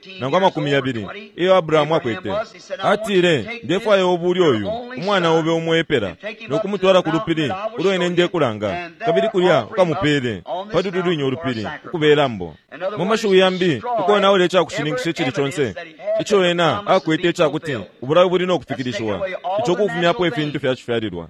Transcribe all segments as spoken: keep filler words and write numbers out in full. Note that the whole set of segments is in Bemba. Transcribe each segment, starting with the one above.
isano nangu amakumi yabili iyo Abrahamu akwete. Atile, ndefwaya ubuli uyu umwana obe umwepela no kumutwala ku lupili ulo ine ndekulanga, kabili kulya ukamupele pali lulwinyo ulupili ukubelambo. Mu mashiwi yambi, ukonaula icakushininkisha icili conse ico ena akwete icakuti ubulayo buli no kufikilishiwa, ico kufumyapo ifintu fyacifyalilwa.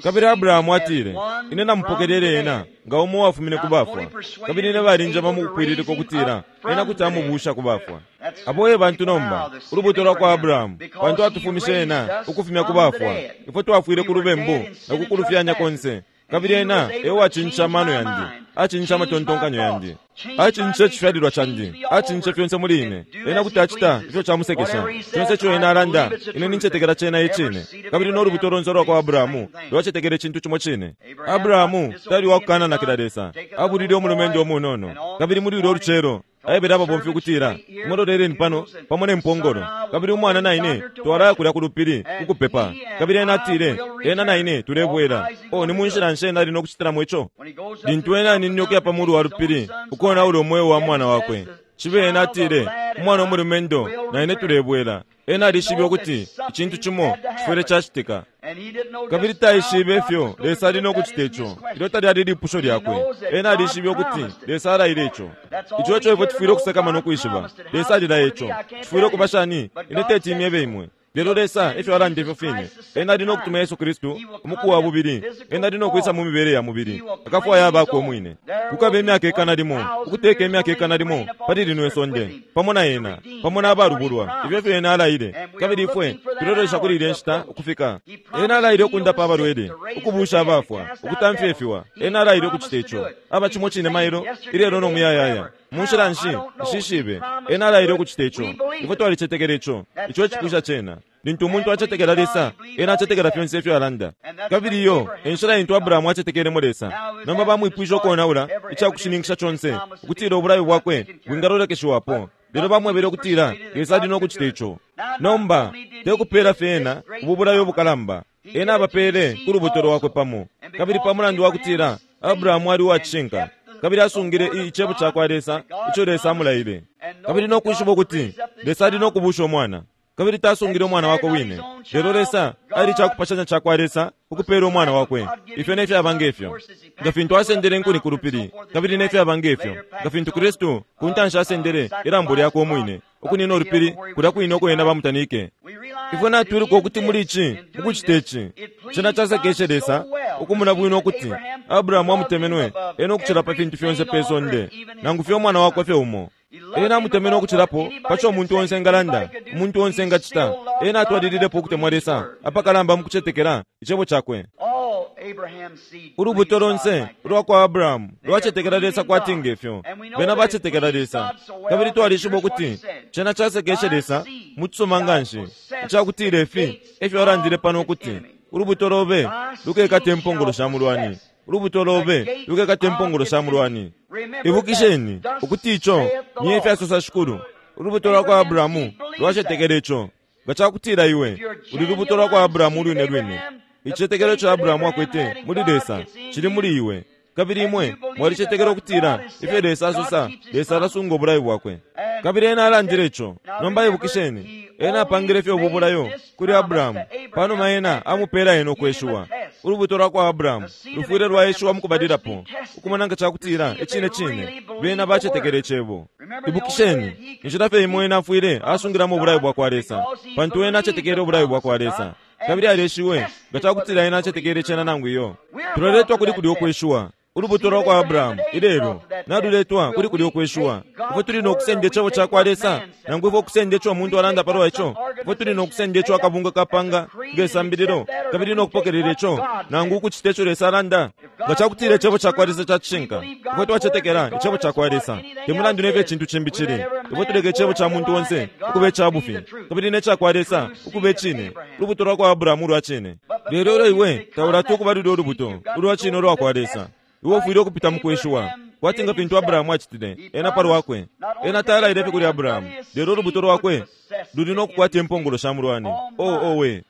Kabili Abrahamu atile, ine namupokelele ena nga umo uwafumine ku bafwa, kabili ine balinjama mukupwililika ukutila ena kuti amubusha ku bafwa. Abo e bantu nomba, ulubuto lwa kwa Abrahamu, pantu atufumishe ena ukufumya ku bafwa. Ifwe twafwile ku lubembu na kukulufyanya konse. Kabili ena e wacinja amano yandi, acinja amatontonkanyo yandi, acinja icifyalilwa candi, acinja fyonse muli ine. Ena kuti acita ifyo camusekesha. Fyonse ico ena alanda, ine nincetekela cena icine. Kabili no lubuto lonse lwa kwa Abrahamu lwacetekela icintu cimo cine. Abrahamu tali wakukananakila Lesa, abulile umulumendo umunono. Kabili muli ulyo lucelo aebele ababomfi ukutila, muloleleni pano pamo ne mpongolo, kabili umwana na ine twalaya kulya ku lupili ukupepa. Kabili ena atile, ena na ine tulebwela. O ni munshila nshi ena ali no kucitilamo ico? Lintu ena aninine ukuya pa mulu wa lupili ukonaula umweo wa mwana wakwe, cibe ena atile, umwana umulumendo na ine tulebwela. Ena alishibe ukuti icintu cimo cifwile cacitika. Kabili taishibe ifyo Lesa ali no kucita ico. Ilyo talyali lipusho lyakwe. Ena alishibe ukuti Lesa alaile ico. Ico eco ifwe tufwile ukusakamana ukwishiba. Lesa alilaya ico. Cifwile ukuba shani? Ine teti imyebe imwe. Lelo Lesa efyo alanda ifyo fine. Ena ali no kutuma Yesu Kristu umuku wa bubili. Ena ali no kwisa mu mibele ya mubili. Akafwaya abakwe umwine. Kukaba imyaka ikana limo, ukuteka imyaka ikana limo pali lino isonde, pamo na ena, pamo na abalubulwa. Ifyo efyo ena alaile. Kabili ifwe tulolesha kuli ilya nshita ukufika. Ena alaile ukundapa abalwele, ukubusha abafwa, ukutamfya ifiwa. Ena alaile ukucita ico. Aba cimo cine mailo, ilelo no muyayaya. Munshila nshi, nshishibe. Ena alaile ukucita ico. Ifwe twalicetekela ico. Ico ecipusha cena. Lintu umuntu acetekela Lesa, ena acetekela fyonse ifyo alanda. Kabili iyo enshila intu Abrahamu acetekelemo Lesa. Nomba bamwipwishe ukonaula icakushininkisha conse ukutila ubulayo bwakwe bwingalolekeshiwapo. Lelo bamwebele ukutila Lesa ali no kucita ico. Nomba tekupela fye ena ubu bulayo bukalamba, ena abapele ku lubuto lwakwe pamo. Kabili pa mulandu wa kutila Abrahamu ali uwacishinka, kabili asungile icebo ca kwa Lesa ico Lesa amulaile. Kabili no kwishiba ukuti Lesa ali no kubusha umwana. Kabili tasungile umwana wakwe wine. Lelo Lesa ali cakupashanya ca kwa Lesa ukupela umwana wakwe. Ifyo nefyo aba ngefyo. Nga fintu asendele inkuni ku lupili, kabili nefyo aba ngefyo. Nga fintu Kristu ku ntanshi asendele ilambo lyakwe umwine, ukunina ulupili kulya kwine uko ena bamutanike. Ifwe natwiluka ukuti muli ici, ukucita ici, cena casekeshe Lesa ukumona bwino ukuti Abrahamu amutemenwe ena ukucila pa fintu fyonse pe sonde, nangu fye umwana wakwe fye umo. Ena amutemenwe ukucilapo paco umuntu onse engalanda, umuntu onse engacita. Ena atwalililepo ukutemwa Lesa apakalamba mukucetekela icebo cakwe. Ulubuto lonse ulwa kwa Abrahamu lwacetekela Lesa kwati ngefyo. Bena bacetekela Lesa. Kabili twalishiba ukuti cena casekeshe Lesa mucisuma nganshi, icakutila ifi efyo alandile pano ukuti ulubuto lobe lukekata impongolo sha mulwani. Ulubuto lobe lukekata impongolo sha mulwani. Ibukisheni ukuti ico ni efyo asosa Shikulu. Ulubuto lwa kwa Abrahamu lwacetekela ico. Nga cakutila iwe uli lubuto lwa kwa Abrahamu ulwine lwine, icicetekelo ico Abrahamu akwete muli Lesa cili muli iwe. Kabili imwe mwalicetekela ukutila ifyo Lesa asosa, Lesa alasunga ubulayo bwakwe. Kabili ena alandile ico. Nomba ibukisheni, ena apangile fye ubu bulayo kuli Abrahamu panuma ena amupela ena ukweshiwa. Ulubuto lwa kwa Abrahamu lufwile lwaeshiwa mukubalilapo, ukumona nga cakutila icine cine bena bacetekele icebo. Ibukisheni, inshila fye imo ena afwile asungilamo ubulayo bwa kwa Lesa, pantu ena acetekele ubulayo bwa kwa Lesa. Kabili aleshiwe nga cakutila ena acetekele cena nangu iyo. Tuloletwa kuli kulya ukweshiwa. Ulubuto lwa kwa Abrahamu ilelo naluletwa kuli kulya ukweshiwa. Ifwe tuli no kusenda icebo ca kwa Lesa, nangu ifwe ukusenda ico umuntu alanda palwa ico. Ifwe tuli no kusenda ico akabunga kapanga ngesambililo, kabili no kupokelela ico, nangu ukucita ico Lesa alanda. Nga cakutila icebo ca kwa Lesa cacishinka, ifwe twacetekela icebo ca kwa Lesa. Te mulandu nefyo icintu cimbi cili, ifwe tuleka icebo ca muntu onse ukuba icabufi, kabili ne ca kwa Lesa ukuba icine. Ulubuto lwa kwa Abrahamu ulwa cine. Lelo ulo iwe taulati ukuba lulya ulubuto ulwa cine ulwa kwa Lesa, iwe ufwile ukupita mukweshiwa, kwati nga fintu Abrahamu acitile ena palwakwe. Ena talaile fye kuli Abrahamu, lelo ulubuto lwakwe luli no kukwata impongolo sha mulwani. Oh, owe!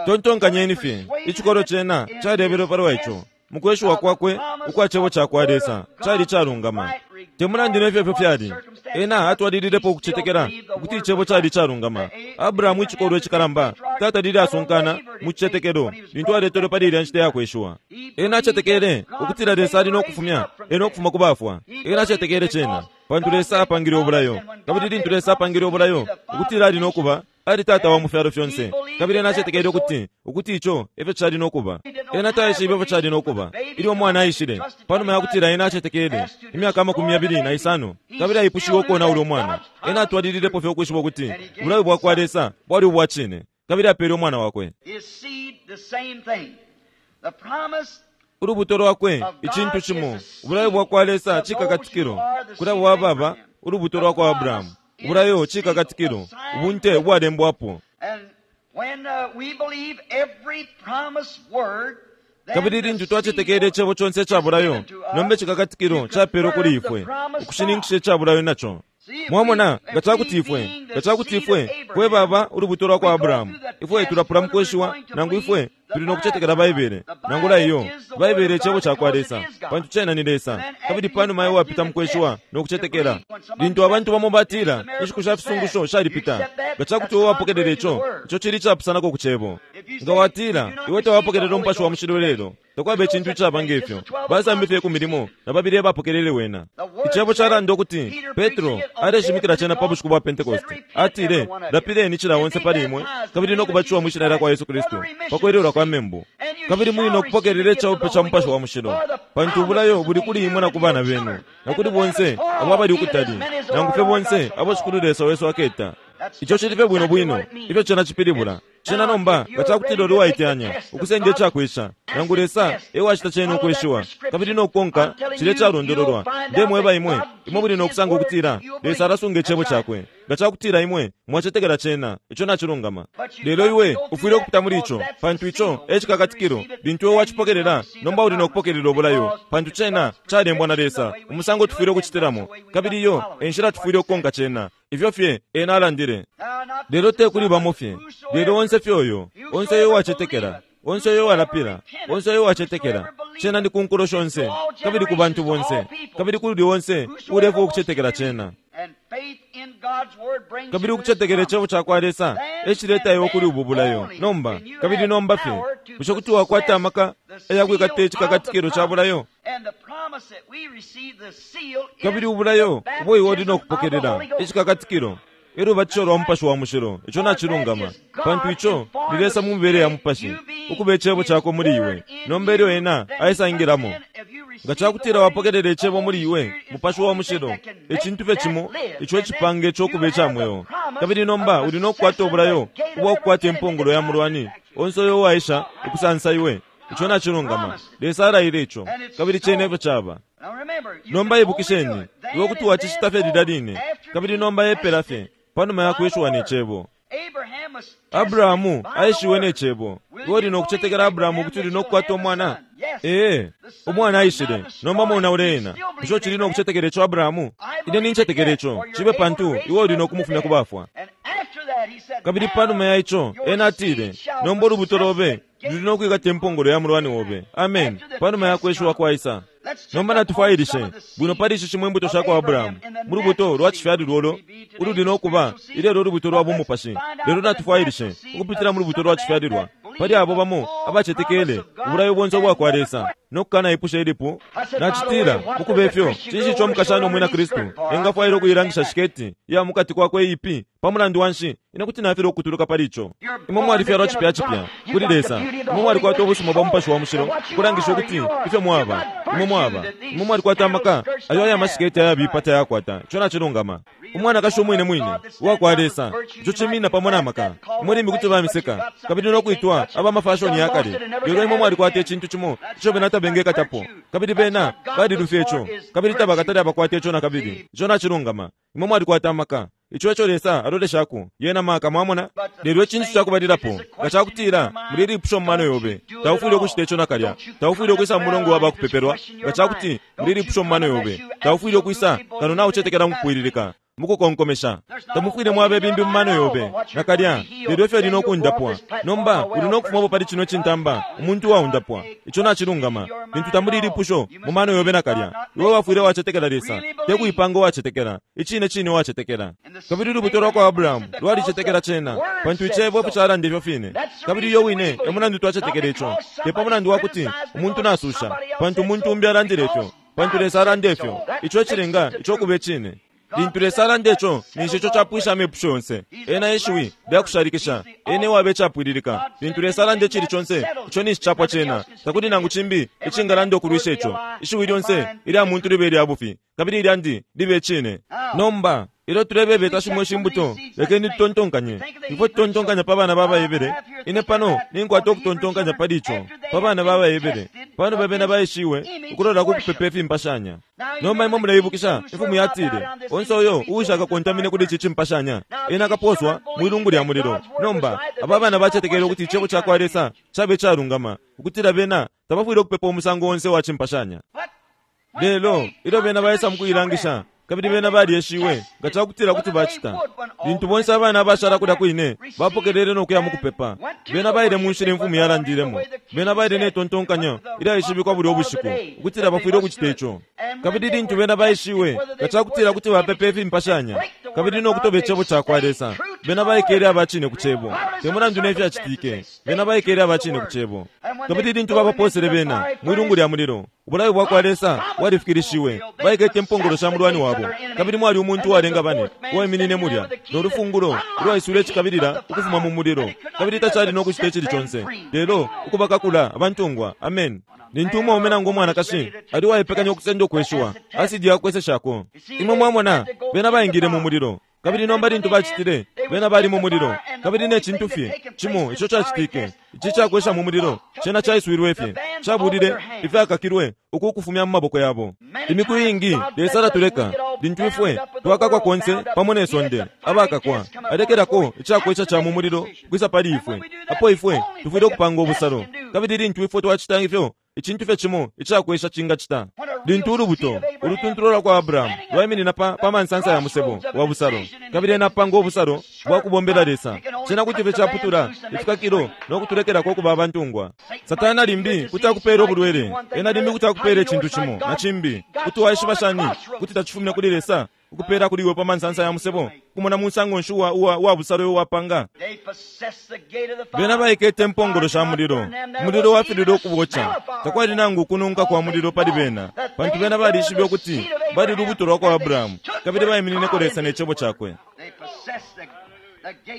Tontonkanyeni fye, icikolo cena calebelwe palwa ico. Mukweshiwa kwakwe ukwa cebo ca kwa Lesa cali calungama. Te mulandu nefyo ifyo fyali, ena atwalililepo ukucetekela ukuti icebo cali calungama. Abrahamu icikolwe icikalamba tatalile asunkana mu cicetekelo lintu aletelwe pali ilya nshita yakweshiwa. Ena acetekele ukutila Lesa ali no kufumya ena ukufuma ku bafwa. Ena acetekele cena pantu Lesa apangile ubulayo. Kabili lintu Lesa apangile ubulayo ukutila ali no kuba, Ali tata wa mu fyalo fyonse. Kabili ena acetekele ukuti ukuti ico efyo cali nokuba. Ena taishibe efyo cali nokuba ilyo umwana aishile panuma yakutila ena acetekele imyaka amakumi yabili na isano, kabili aipushiwe ukonaula umwana. Ena atwalililepo fye ukwishiba ukuti ubulayo bwakwa Lesa bwali ubwa cine, kabili apele umwana wakwe. His seed, the same thing. The promise Ulubuto lwakwe icintu cimo, ubulayo bwakwa Lesa cikakatikilo kuli abo ababa ulubuto lwakwa Abrahamu. Ubulayo cikakatikilo, ubunte ubwalembwapo. And when uh, we believe every promised word, then Kabili the lintu twacetekele seal icebo conse ica bulayo, nomba icikakatikilo capelwe kuli ifwe ukushininkisha ica bulayo naco. Mwamona, nga cakuti ifwe nga cakuti ifwe fwe baba ulubuto lwakwa Abrahamu, ifwe tulapula mukweshiwa, nangu ifwe tuli nokucetekela Baibele, nangula iyo Baibele icebo cakwa Lesa, pantu cena ni Lesa. Kabili panuma iwe wapita mukweshiwa nokucetekela, lintu abantu bamo batila inshiku sha fisungusho shalipita, nga cakuti iwe wapokelela ico, ico cili icapusanako ku cebo. Nga watila iwe tawapokelela umupashi wa mushilo lelo, takwaba icintu icaba ngefyo. Basambi fye ku milimo na babili abapokelele wena. Icebo calanda ukuti Petro aleshimikila cena pa bushiku bwa Pentekoste. Atile, lapileni cila onse pali imwe, kabili nokubatishiwa mwi shina lya kwa Yesu Kristu pa kwelelwa kwa membu, kabili muli nokupokelela icabupe ca mupashi wa mushilo, pantu ubulayo buli kuli imwe na ku bana benu, na kuli bonse abo abali ukutali, nangu fye bonse abo Shikulu Lesa wesu aketa. Ico cili fye bwino bwino ifyo cena cipilibula. Cena nomba nga cakutila uli uwaiteyanya ukusenda icakwisha, nangu Lesa ewacita cena ukweshiwa, kabili nokukonka cilya icalondololwa. Ndemweba imwe, imwe muli nokusanga ukutila Lesa alasunga icebo cakwe. Nga cakutila imwe mwacetekela cena, ico nacilungama. Lelo iwe ufwile ukupita muli ico, pantu ico e cikakatikilo. Lintu iwe wacipokelela, nomba uli nokupokelela ubulayo, pantu cena calembwa na Lesa umusango tufwile ukucitilamo, kabili iyo e nshila tufwile ukukonka cena. Ifyo fye ena alandile. Lelo te kuli bamo fye, lelo onse fye uyo, onse uyo uwacetekela, onse uyo uwalapila, onse uyo uwacetekela, cena ni ku nkulo shonse, kabili ku bantu bonse, kabili kuli onse ulefwa ukucetekela cena. And faith in God's word brings Kabili you to this ukucetekela icebo cakwa Lesa ecileta iwe kuli ubu bulayo. Nomba, kabili nomba fye, bushe kuti wakwata amaka ayakwikata icikakatikilo ca bulayo? And the promise that we receive, the seal, is Kabili ubulayo the ubo iwe uli baptism of the nokupokelela Holy Ghost. icikakatikilo elubatisho lwa mupashi wa mushilo. Ico nacilungama, pantu ico ni Lesa mu mibele ya mupashi ukuba icebo cakwe muli iwe. Nomba ilyo ena aisangilamo, nga cakutila wapokelela icebo muli iwe, mupashi wa mushilo, icintu fye cimo ico icipanga ico kuba ica mweo. Kabili nomba uli nokukwata ubulayo ubwakukwata impongolo ya mulwani onse uyo uwaisha ukusansa iwe. Ico nacilungama. Lesa alaile ico, kabili cena efyo caba. Now remember, you Nomba can ibukisheni, only do it then iwe kuti and wacicita fye then lilya line, after kabili being nomba epela fye tested panuma ya by kweshiwa the ne word. cebo. Abraham was tested Abrahamu by the aishiwe ne word. cebo. Will Iwe uli you nokucetekela believe Abrahamu Abraham ukuti uli that nokukwata you'll have a umwana? son? Yes. Ee, The son umwana was aishile, not nomba destroyed. monaule You ena. still believe Bushe uchili Abraham? nokucetekela ico Abrahamu? I Ine believe nincetekela it, ico, for you're cibe able to pantu raise iwe uli him up from the nokumufumya ku dead. bafwa. And after that he said, Kabili Now panuma ya ico, your ena atile, seed shall nomba ulubuto possess lobe the luli gates nokwikata impongolo ya mulwani obe. Amen. After the Panuma ya test kweshiwa comes, kwaisa. let's check Nomba up on some natufwailishe of the bwino seed pali ici shimo imbuto of sha kwa Abraham Abrahamu in the mu lubuto natural lwa seed, cifyalilwa which ulo we be today ululi the nokuba spiritual seed. ilelo ulubuto lwa But let's bumupashi. find Lelo out the natufwailishe natural seed ukupitila of mu lubuto some lwa of them cifyalilwa that pali believe abo the bamo full abacetekele promise of God ubulayo bonse and ubwa kwa never Lesa question. nokukanayipusha ilipo. I said, by the way, Nacitila what mukuba does a ifyo Christian cinshi girl ico want to show umukashana umwina underneath Kristu skirt for? I engafwaila can ukuilangisha understand that. shiketi ya mukati kwakwe iipi pa mulandu wa nshi? Ine kuti nafilwa ukutuluka pali ico. You're Imwe born mwalifyalwa again cipya of cipya God. You kuli got the Lesa. beauty of the Imwe Holy mwalikwata Ghost to ubusuma bwa show mupashi wa that mushilo what you kulangisha are, ukuti you are. ifyo You mwaba, got imwe virtue mwaba, that imwe these mwalikwata scandal amaka skirts ayo don't aya have. masiketi That's ayabipa right. tayakwata. Ico nacilungama. Umwanakashi umwine mwine uwakwa Lesa, ico cimina pamo na maka. Imwe limbi kuti Called old fashioned, but you bamiseka got something kabili they can't nokwitwa touch, aba and mafashoni done ya lost kale, it and never lelo can imwe have it mwalikwata again. icintu cimo That's ico bena right. That's tabengekatapo, virtue. kabili That's bena what God looks balilufya for ico, is kabili virtue. tabakatale abakwata ico na kabili. See, Ico nacilungama. Imwe mwalikwata amaka. Ico eco Lesa aloleshako yena maka, mwamona. But the Lelo first icintu thing, ca if kubalilapo, it's a nga question in cakutila your muli mind, lipusho mu mano don't you yobe, do it at taufwile ukucita all. ico nakalya, Don't you taufwile come in a ukwisa mu prayer mulongo wa line if it's a bakupepelwa. question in Nga your cakuti mind. muli Don't you lipusho mu come mano unless yobe, you taufwile ukwisa absolutely kano believe it and naucetekela fasting. mukupwililika mukukonkomesha. There's not a Tamufwile way mwaba in your ebimbi mu mind mano at all yobe but what you're going to nakalya, be healed. lelo ifyo Then lino you'll go off okundapwa. this platform Nomba a uli well nokufumapo person. pali cino cintamba umuntu waundapwa. Ico nacilungama. In your Lintu mind at tamuli all. lipusho You mu must mano yobe believe God, nakalya, not iwe make wafwile believe. wacetekela Lesa, Really te believe. kuipanga uwacetekela, icine cine wacetekela. And the Kabili seed ulubuto lwa kwa Abraham Abrahamu received because lwalicetekela the cena, word pantu said icebo so. efyo calanda ifyo fine. That's the Kabili iyo reason we wine e believe. mulandu Not twacetekela ico, because te pa somebody's mulandu wa kuti criticized umuntu because nasusha, somebody else pantu said umuntu so, umbi alandile ifyo, because pantu God Lesa alanda said ifyo. so. That Ico makes ecilenga it the ico kuba truth. icine. Lintu Lesa alanda ico, ninshi ico capwisha amepusho yonse. Ena ishiwi lyakushalikisha, ena ewabe icapwililika. Lintu Lesa alanda icili conse, ico ninshi capwa cena. Takuli nangu cimbi icingalanda ukulwisha ico. Ishiwi lyonse ilya muntu libe lya bufi, kabili ilyandi libe cine. Nomba ilyo tulebebeta shimo shimbuto, lekeni tutontonkanye. Ifwe tutontonkanya pa bana babayebele. Ine pano ninkwata ukutontonkanya pali ico, pa bana babayebele. Pano babena baishiwe ukulola ku kupepa ifimpashanya. Nomba imwe muleibukisha imfumu yatile, onse uyo uushaka kontamine kuli ici cimpashanya, ena akaposwa mwilungu lya mulilo. Nomba aba bana bacetekele ukuti icebo ca kwa Lesa cabe calungama, ukutila bena tabafwile ukupepa umusango onse wa cimpashanya. Lelo ilyo bena baisa mukuilangisha, kabili bena balyeshiwe nga cakutila kuti bacita. Lintu bonse abana abashala kulya kwine bapokelele nokuya mukupepa, bena baile mu nshila imfumu yalandilemo. Bena baile netontonkanyo ilyaishibikwa bulya ubushiku ukutila bafwile ukucita ico. Kabili lintu bena baishiwe nga cakutila kuti bapepa ifimpashanya kabili nokutoba icebo ca kwa Lesa, bena baikele abacine ku cebo. Te mulandu nefyacitike, bena baikele abacine ku cebo. Kabili lintu babaposele bena mwilungu lya mulilo, ubulayo bwa kwa Lesa bwalifikilishiwe. Baikete impongolo sha mulwani wabo, kabili mwali umuntu uwalenga bane uwaiminine mulya nolufungulo ulwaiswile cikabilila ukufuma mu mulilo, kabili tacali nokucita icili conse lelo ukubakakula abantungwa. Amen. Lintu umwaume nangu umwanakashi ali uwaipekanya ukusenda ukweshiwa, asidi yakweseshako. Imwe mwamona bena baingile mu mulilo, kabili nomba lintu bacitile, bena bali mu mulilo, kabili ne cintu fye cimo ico cacitike, ici cakwesha mu mulilo cena caiswilwe fye, cabulile ifyakakilwe uku kufumya mu maboko yabo. Imiku iingi Lesa alatuleka lintu ifwe twakakwa konse pamo ne sonde abakakwa, alekelako icakwesha ca mu mulilo kwisa pali ifwe. Apo ifwe tufwile ukupanga ubusalo, kabili lintu ifwe twacita ifyo, icintu fye cimo icakwesha cingacita. Lintu ulubuto ulutuntulo lwa kwa Abrahamu lwaiminina pa, pa mansansa ya musebo wa busalo, kabili ena apanga ubusalo bwa kubombela Lesa, cena kuti fye caputula ifikakilo nokutulekelako ukuba abantungwa. Satana limbi kuti akupela ubulwele, ena limbi kuti akupela icintu cimo na cimbi. Kuti waishiba shani kuti tacifumine kuli Lesa ukupela kuli iwe pa mansansa ya musebo, kumona musango nshi uwa, uwa, uwa busalo uwapanga? Bena baikete impongolo sha mulilo, umulilo wafilile ukuboca. Takwali nangu kununka kwa mulilo pali bena, pantu bena balishibe ukuti bali lubuto lwa kwa Abrahamu, kabili baiminineko Lesa ne cebo cakwe.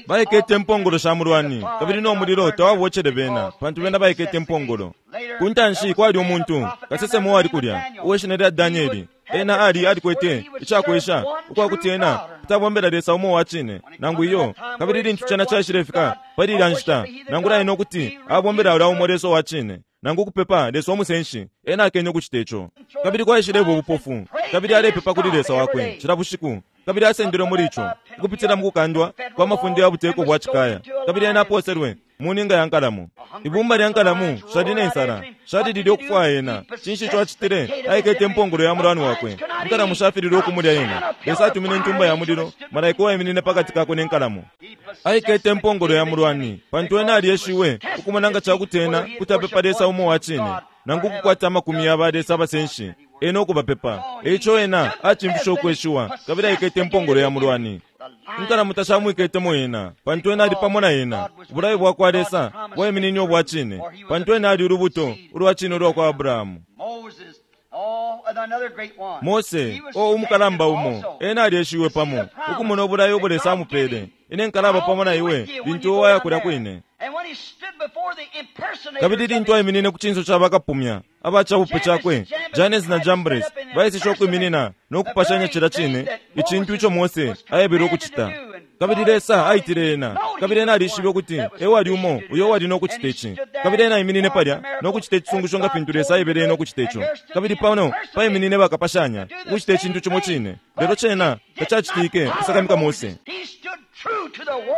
Baikete impongolo sha mulwani, kabili no mulilo tawabocele bena, pantu bena baikete impongolo. Kuntanshi kwali umuntu kasesema uwali kulya uweshina lya Danieli. Ena ali alikwete icakwesha ukwakuti ena kutabombela Lesa umo wa cine nangu iyo. Kabili lintu cena caishilefika pali ilya nshita, nangu laine ukuti abombela ulya umo Lesa wa cine nangu ukupepa Lesa umusenshi, ena akenye ukucita ico. Kabili kwaishileba ubupofu, kabili alepepa kuli Lesa wakwe cila bushiku, kabili asendelwe muli ico ukupitila mu kukandwa kwa mafunde ya buteko bwa cikaya. Kabili ena aposelwe mu ninga ya nkalamu. Ibumba lya nkalamu shali ne nsala, shalilile ukufwaya ena. Cinshi ico acitile? Aikete impongolo ya mulwani wakwe. Inkalamu shafilile ukumulya ena. Lesa atumine intumba ya mulilo, malaika uwaiminine pakati kakwe ne nkalamu. Aikete impongolo ya mulwani, pantu ena alyeshiwe ukumona nga cakuti ena kuti apepa Lesa umo wa cine, nangu ukukwata amakumi ya ba Lesa abasenshi, ena ukubapepa. Eico ena acimfishe ukweshiwa, kabili aikete impongolo ya mulwani. Inkalamu tashamwiketemo ena, pantu ena ali pamo na ena. Ubulayo bwa kwa Lesa bwaiminine ubwa cine, pantu ena ali ulubuto ulwa cine ulwa kwa Abrahamu. Mose, o umukalamba umo, ena alyeshiwe pamo ukumona ubulayo ubo Lesa amupele. Ine nkalaba pamo na iwe lintu uwaya kulya kwine. Kabili lintu aiminine ku cinso ca bakapumya abacabupe cakwe, Janesi na Jambres baisishe ukwiminina nokupashanya cila cine icintu ico Mose aebelwe ukucita. Kabili Lesa aitile ena, kabili ena alishibe ukuti ewali umo uyo uwali nokucita ici. Kabili ena aiminine palya nokucita icisungusho nga fintu Lesa aebele ena ukucita ico. Kabili pano paiminine bakapashanya ukucita icintu cimo cine, lelo cena tacacitike kusakamika Mose.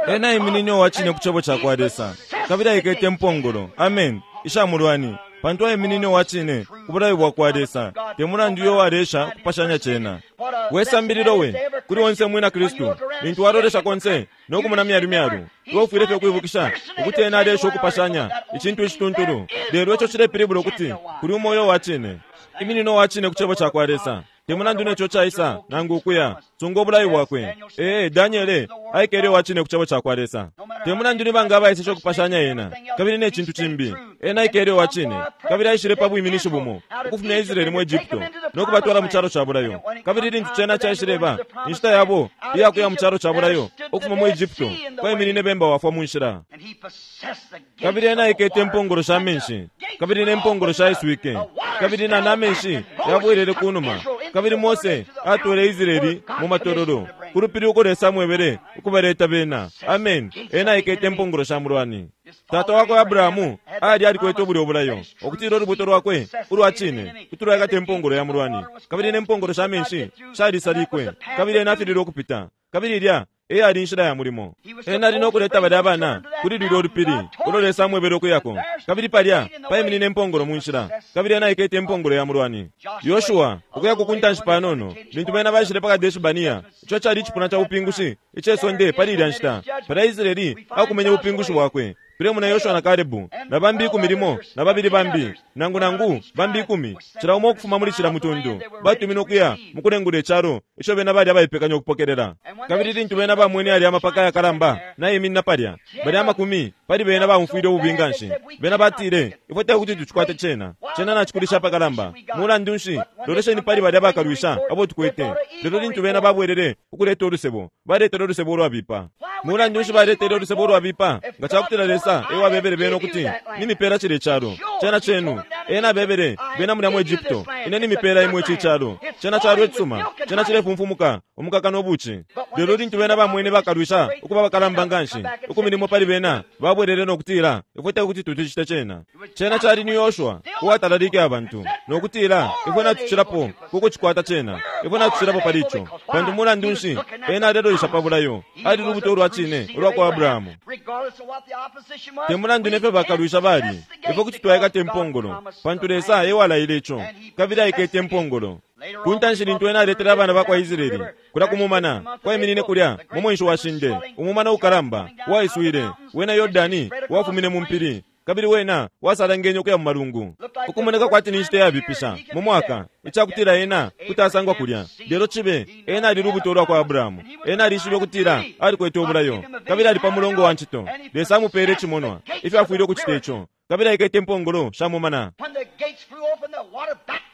Ena aiminine uwa cine ku cebo ca kwa Lesa, kabili aikete impongolo, amen, isha mulwani, pantu aiminine uwa cine ku bulayo bwa kwa Lesa, te mulandu uyo walesha kupashanya cena. We sambililo we kuli onse mwina Kristu, lintu walolesha konse nokumona myalu myalu, iwe ufwile fye ukwibukisha ukuti ena alesha ukupashanya icintu icituntulu. Lelo ico cilepilibula ukuti kuli umo uyo wa cine. Iminine uwa cine ku cebo ca kwa Lesa, Te mulandu neco caisa nangu ukuya, sunga ubulayo bwakwe. Ee, Daniele aikele uwacine ku cebo cakwa Lesa. Te mulandu ni banga abaiseshe ukupashanya ena kabili ne cintu cimbi, ena aikele uwacine kabili aishile pa bwiminishi bumo ukufumya Israeli mu Egypto no kubatwala mu calo ca bulayo. Kabili lintu cena caishileba inshita yabo iyakuya mu calo ca bulayo ukufuma mu Egypto, kwaiminine bemba wafwa mu nshila. Kabili ena aikete impongolo sha menshi, kabili ne mpongolo shaiswike, kabili na namenshi yabwelele kunuma. Kabili Mose atwele Israeli mu matololo ku lupili uko Lesa amwebele ukubaleta bena. Amen. Ena aikete impongolo sha mulwani. Tata wakwe Abrahamu ali alikwete ubulyo bulayo ukutila ulubuto lwakwe ulwa cine kuti lwaikata impongolo ya mulwani, kabili ne mpongolo sha menshi shalisalikwe, kabili ena afililwe ukupita. Kabili ilya eyali inshila ya mulimo. Ena ali nokuleta balya abana kuli lulya ulupili ulo Lesa amwebele ukuyako, kabili palya paiminine impongolo mu nshila, kabili ena aikete impongolo ya mulwani. Yoshua ukuyako ku ntanshi panono lintu bena baishile pa Kadeshi Bania, ico cali icipuna ca bupingushi icesonde pali ilya nshita. Palya Israeli akumenye ubupingushi bwakwe. Tulemona Yoshua na Kalebu na bambi ikumi limo na babili bambi nangu nangu bambi ikumi, cila umo ukufuma muli cila mutundu, batumine ukuya mukulengula icalo ico bena bali abaipekanya ukupokelela. Kabili lintu bena bamwene alya amapaka yakalamba naiminina palya, balya amakumi pali bena baumfwile ububi nganshi. Bena batile, ifwe tekuti tucikwate cena, cena nacikulisha apakalamba. Mulandu nshi, lolesheni pali balya bakalwisha abo tukwete. Lelo lintu bena babwelele ukuleta ulusebo, baletele ulusebo ulwabipa. Mulandu nshi baletele ulusebo ulwabipa? Nga cakutila Lesa ewabebele bena ukuti nimipela cile calo, cena cenu. Ena abebele bena mulya mu Egypto, ine nimipela imwe ici calo, cena calo icisuma, cena cilefumfumuka umukaka no buci. Lelo lintu bena bamwene bakalwisha ukuba bakalamba nganshi, ikumi limo pali bena babwelele no kutila, ifwe tekuti tucicite cena. Cena cali ni Yoshua uwatalalike abantu no kutila, ifwe natucilapo kukucikwata cena, ifwe natucilapo pali ico. Pantu mulandu nshi ena alelolesha pa bulayo, ali lubuto ulwa cine ulwa kwa Abrahamu. Te mulandu nefyo bakalwisha bali, ifwe kuti twaikata impongolo, pantu Lesa ewalaile ico, kabili aikete impongolo. Ku ntanshi lintu ena aletele abana bakwa Israeli kulya kumumana, kwaiminine kulya mu mwenshi wa shinde, umumana ukalamba waiswile, wena Yordani wafumine mu mpili, kabili wena wasalangenye ukuya mu malungu. Ukumoneka kwati ni nshita yabipisha mu mwaka, icakutila ena kuti asangwa kulya. Lelo cibe ena ali lubuto lwa kwa Abrahamu. Ena alishibe ukutila alikwete ubulayo, kabili ali pa mulongo wa ncito. Lesa amupele icimonwa ifyo afwile ukucita ico, kabili aikete impongolo sha mumana.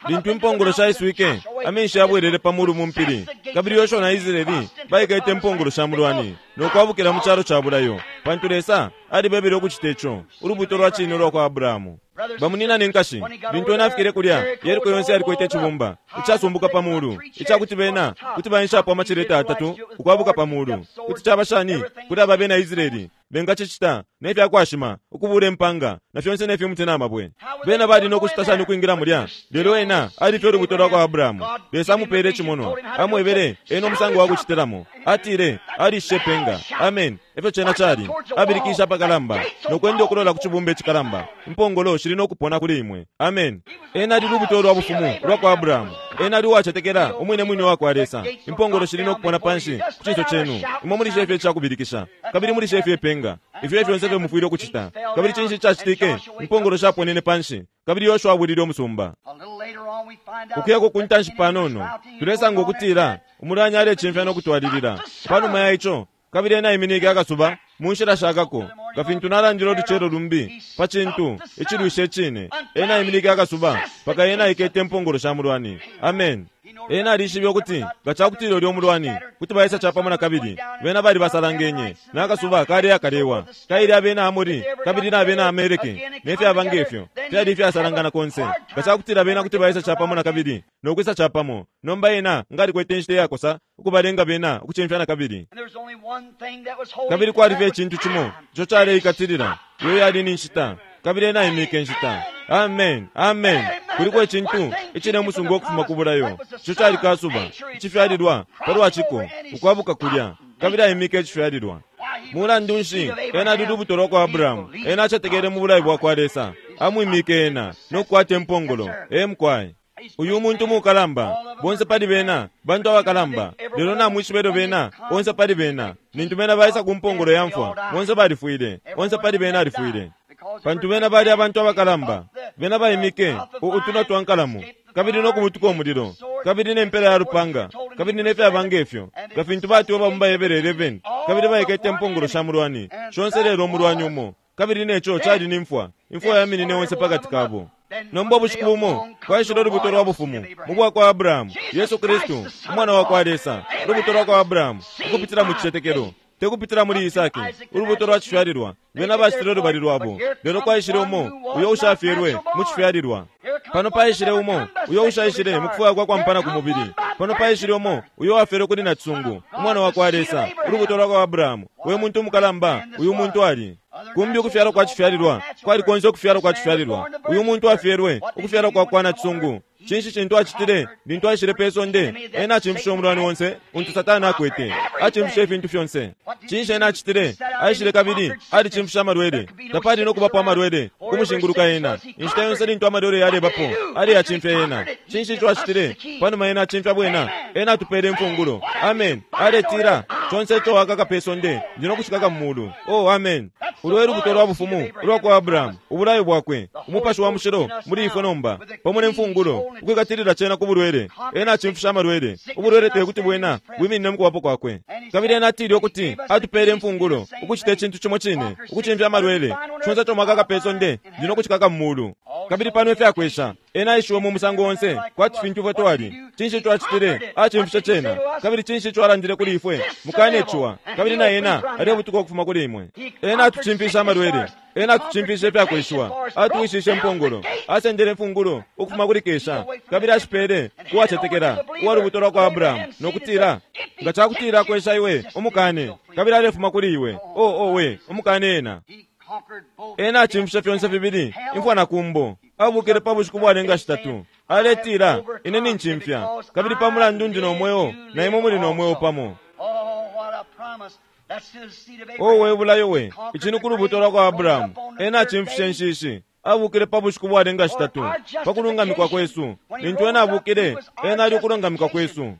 Lintu impongolo shaiswike, amenshi yabwelele pa mulu mu mpili, kabili Yoshua na Israeli baikete impongolo sha mulwani no kwabukila mu calo ca bulayo, pantu Lesa alibebele ukucita ico, ulubuto lwa cine ulwa kwa Abrahamu. Bamunina ne nkashi, lintu ena afikile kulya, Yeriko yonse yalikwete icibumba icasumbuka pa mulu, icakuti bena kuti baenshapo amacileta atatu ukwabuka pa mulu. Kuti caba shani kuli aba bena Israeli bengacicita ne fyakwashima ukubula impanga na fyonse ne fimuti na mabwe? Bena bali no kucita shani ukwingila mulya? Lelo ena alifye ulubuto lwa kwa Abrahamu. Lesa amupele icimonwa, amwebele ena umusango wa kucitilamo. Atile alishishe penga. Amen. Efyo cena cali. Abilikisha apakalamba no kwenda ukulola ku cibumba icikalamba, impongolo shili no kupona kuli imwe. Amen. Ena ali lubuto lwa bufumu lwa kwa Abrahamu. Ena ali uwacetekela umwine mwine wa kwa Lesa. Impongolo shili no kupona panshi ku cinso cenu. Imwe muli shefye icakubilikisha, kabili muli shefye ipenga. Ifyo fyonse fyo mufwile ukucita. Kabili cinshi cacitike? Impongolo shaponene panshi, kabili Yoshua abwilile umusumba. Ukuyako ku ntanshi panono, tulesanga ukutila umulwani alecimfya no kutwalilila. Panuma ya ico, kabili ena aiminike akasuba mu nshila shakako, nga fintu nalandile ulucelo lumbi pa cintu icilwisha icine. Ena aiminike akasuba paka ena aikete impongolo sha mulwani. Amen. Ena alishibe ukuti nga cakutila ulya umulwani kuti baisa capamo na kabili, bena bali basalangenye nakasuba kale akalewa kaili abena Amori kabili na abena Amaleki ne fyaba ngefyo fyali ifyasalangana konse. Nga cakutila bena kuti baisa capamo na kabili no kwisa capamo, nomba ena nga alikwete inshita iyakosa ukubalenga bena ukucimfya na kabili. Kabili kwali fye icintu cimo ico caleikatilila, iyo yali ni nshita, kabili ena aimike inshita. Amen, amen. Kuliko icintu icilemusunga ukufuma ku bulayo, ico cali kasuba icifyalilwa palwaciko ukwabuka kulya, kabili aimike icifyalilwa. Mulandu nshi ena ali lubuto lwa kwa Abrahamu? Ena acetekele mu bulayo bwa kwa Lesa, amwimike ena no kukwata impongolo. Emkwai uyu muntu mukalamba, bonse pali bena bantu abakalamba, lelo namwishibe elyo bena bonse pali bena nintu bena baisa ku mpongolo ya mfwa, bonse balifwile, bonse pali bena alifwile, pantu bena bali abantu abakalamba. Bena baimike utunwa twa nkalamu, kabili no kubutuka umulilo, kabili ne mpela ya lupanga, kabili ne fyaba ngefyo, nga fintu batiwe mu Bahebere eleven, kabili baikete impongolo sha mulwani shonse lelo umulwani umo, kabili neco cali ni mfwa, imfwa yaminine onse pakati kabo. Nomba ubushiku bumo kwaishile ulubuto lwa bufumu mu bwa kwa Abrahamu, Yesu Kristu umwana wa kwa Lesa, ulubuto lwa kwa Abrahamu ukupitila mu cicetekelo, tekupitila muli Isaki, ulubuto lwa cifyalilwa. Bena bacitile ulubali lwabo, lelo kwaishile umo uyo ushafyelwe mu cifyalilwa. Pano paishile umo uyo ushaishile mu kufwaya kwa kwampana ku mubili. Pano paishile umo uyo wafyelwe kuli nacisungu, umwana wa kwa Lesa, ulubuto lwa kwa Abrahamu. Uyo muntu umukalamba, uyu muntu ali kumbi ukufyalwa kwa cifyalilwa kwali konse ukufyalwa kwa cifyalilwa. Uyu muntu afyelwe ukufyalwa kwa kwa nacisungu. Cinshi cintu acitile lintu aishile pe sonde? Ena acimfishe umulwani onse untu Satani akwete, acimfishe ifintu fyonse. Cinshi ena acitile? Aishile kabili alicimfishe amalwele. Tapali no kubapo amalwele kumushinguluka ena. Inshita yonse lintu amalwele yalebapo, aliyacimfya ena. Cinshi ico acitile? Panuma ena acimfya bwena, ena atupele imfungulo. Amen. Aletila conse ico wakaka pe sonde ndi no kushikaka mu mulu. Oh, amen. Ulwo lubuto lwa bufumu ulwa kwa Abrahamu, ubulayo bwakwe, umupashi wa mushilo muli ifwe nomba pamo ne mfungulo ukwikatilila cena ku bulwele. Ena acimfisha amalwele. Ubulwele tekuti bwena bwiminine mu kubapo kwakwe. Kabili ena atile ukuti atupele imfungulo ukucita icintu cimo cine, ukucimfya amalwele. Conse ico mwakaka pe sonde ndi no kushikaka mu mulu. Kabili pano ifyakwesha ena aishiwe mu musango onse kwati fintu ifwe twali. Cinshi ico acitile? Acimfishe cena. Kabili cinshi ico alandile kuli ifwe? Mukane ciwa, kabili na ena alebutuka ukufuma kuli imwe. Ena atucimfisha amalwele, ena atucimfishe ifyakweshiwa, atuwishishe impongolo, asendele imfungulo ukufuma kuli Kesha, kabili ashipele kuwacetekela uwa lubuto lwa kwa Abrahamu, no kutila nga cakutila kwesha iwe umukane, kabili alefuma kuli iwe. Oh, oh we umukane ena. Ena acimfishe fyonse fibili, imfwa na kumbo. Abukile pa bushiku bwalenga shitatu, aletila ine nincimfya, kabili pa mulandu ndi no mweo na imwe muli no mweo pamo. Oh, we bulayo we, ici ku lubuto lwa kwa Abrahamu. Ena acimfishe inshishi, abukile pa bushiku bwalenga shitatu pa kulungamikwa kwesu. Lintu ena abukile, ena ali ukulungamikwa kwesu.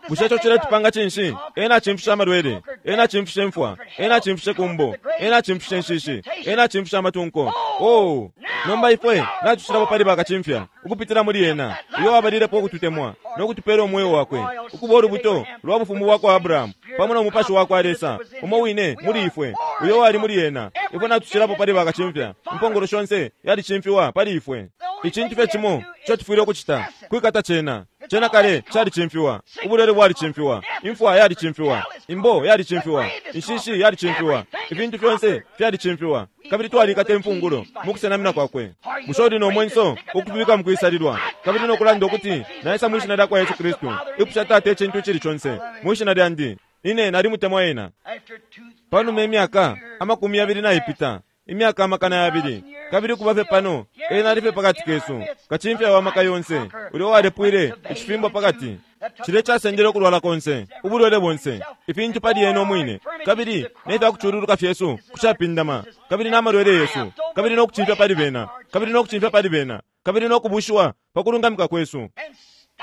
Bushe ico ciletupanga cinshi? Ena acimfishe amalwele, ena acimfishe imfwa, ena acimfishe kumbo, ena acimfishe inshishi, ena acimfishe amatunko. Oh, nomba ifwe natucilapo pali bakacimfya ukupitila muli ena, uyo wabalilepo ukututemwa no kutupela umweo wakwe, ukuba ulubuto lwa bufumu bwa kwa Abrahamu pamo no mupashi wa kwa Lesa umo wine muli ifwe, uyo wali muli ena. Ifwe natucilapo pali bakacimfya. Impongolo shonse yalicimfiwa pali ifwe. Icintu fye cimo ico tufwile ukucita kwikata cena. Cena kale calicimfiwa, ubulwele bwalicimfiwa, imfwa yalicimfiwa, imbo yalicimfiwa, inshishi yalicimfiwa, ifintu fyonse fyalicimfiwa, kabili twalikata imfungulo mu kusenamina kwakwe. Bushe uli no mwenso ukubika mu kwisalilwa kabili no kulanda ukuti naisa mwi shina lya kwa Yesu Kristu, ipusha Tata icintu icili conse mwi shina lyandi, ine nalimutemwa ena. Panuma imyaka amakumi yabili naipita, imyaka amakana yabili, kabili kuba fye pano ena ali fye pakati kesu, kacimfya wa maka yonse ulyo walepwile icifimbo pakati. Cile casendele ukulwala konse, ubulwele bonse, ifintu pali ena umwine, kabili ne fyakucululuka fyesu kushapindama, kabili n'amalwele yesu, kabili no kucimfya pali bena, kabili no kucimfya pali bena, kabili no kubushiwa pa kulungamika kwesu,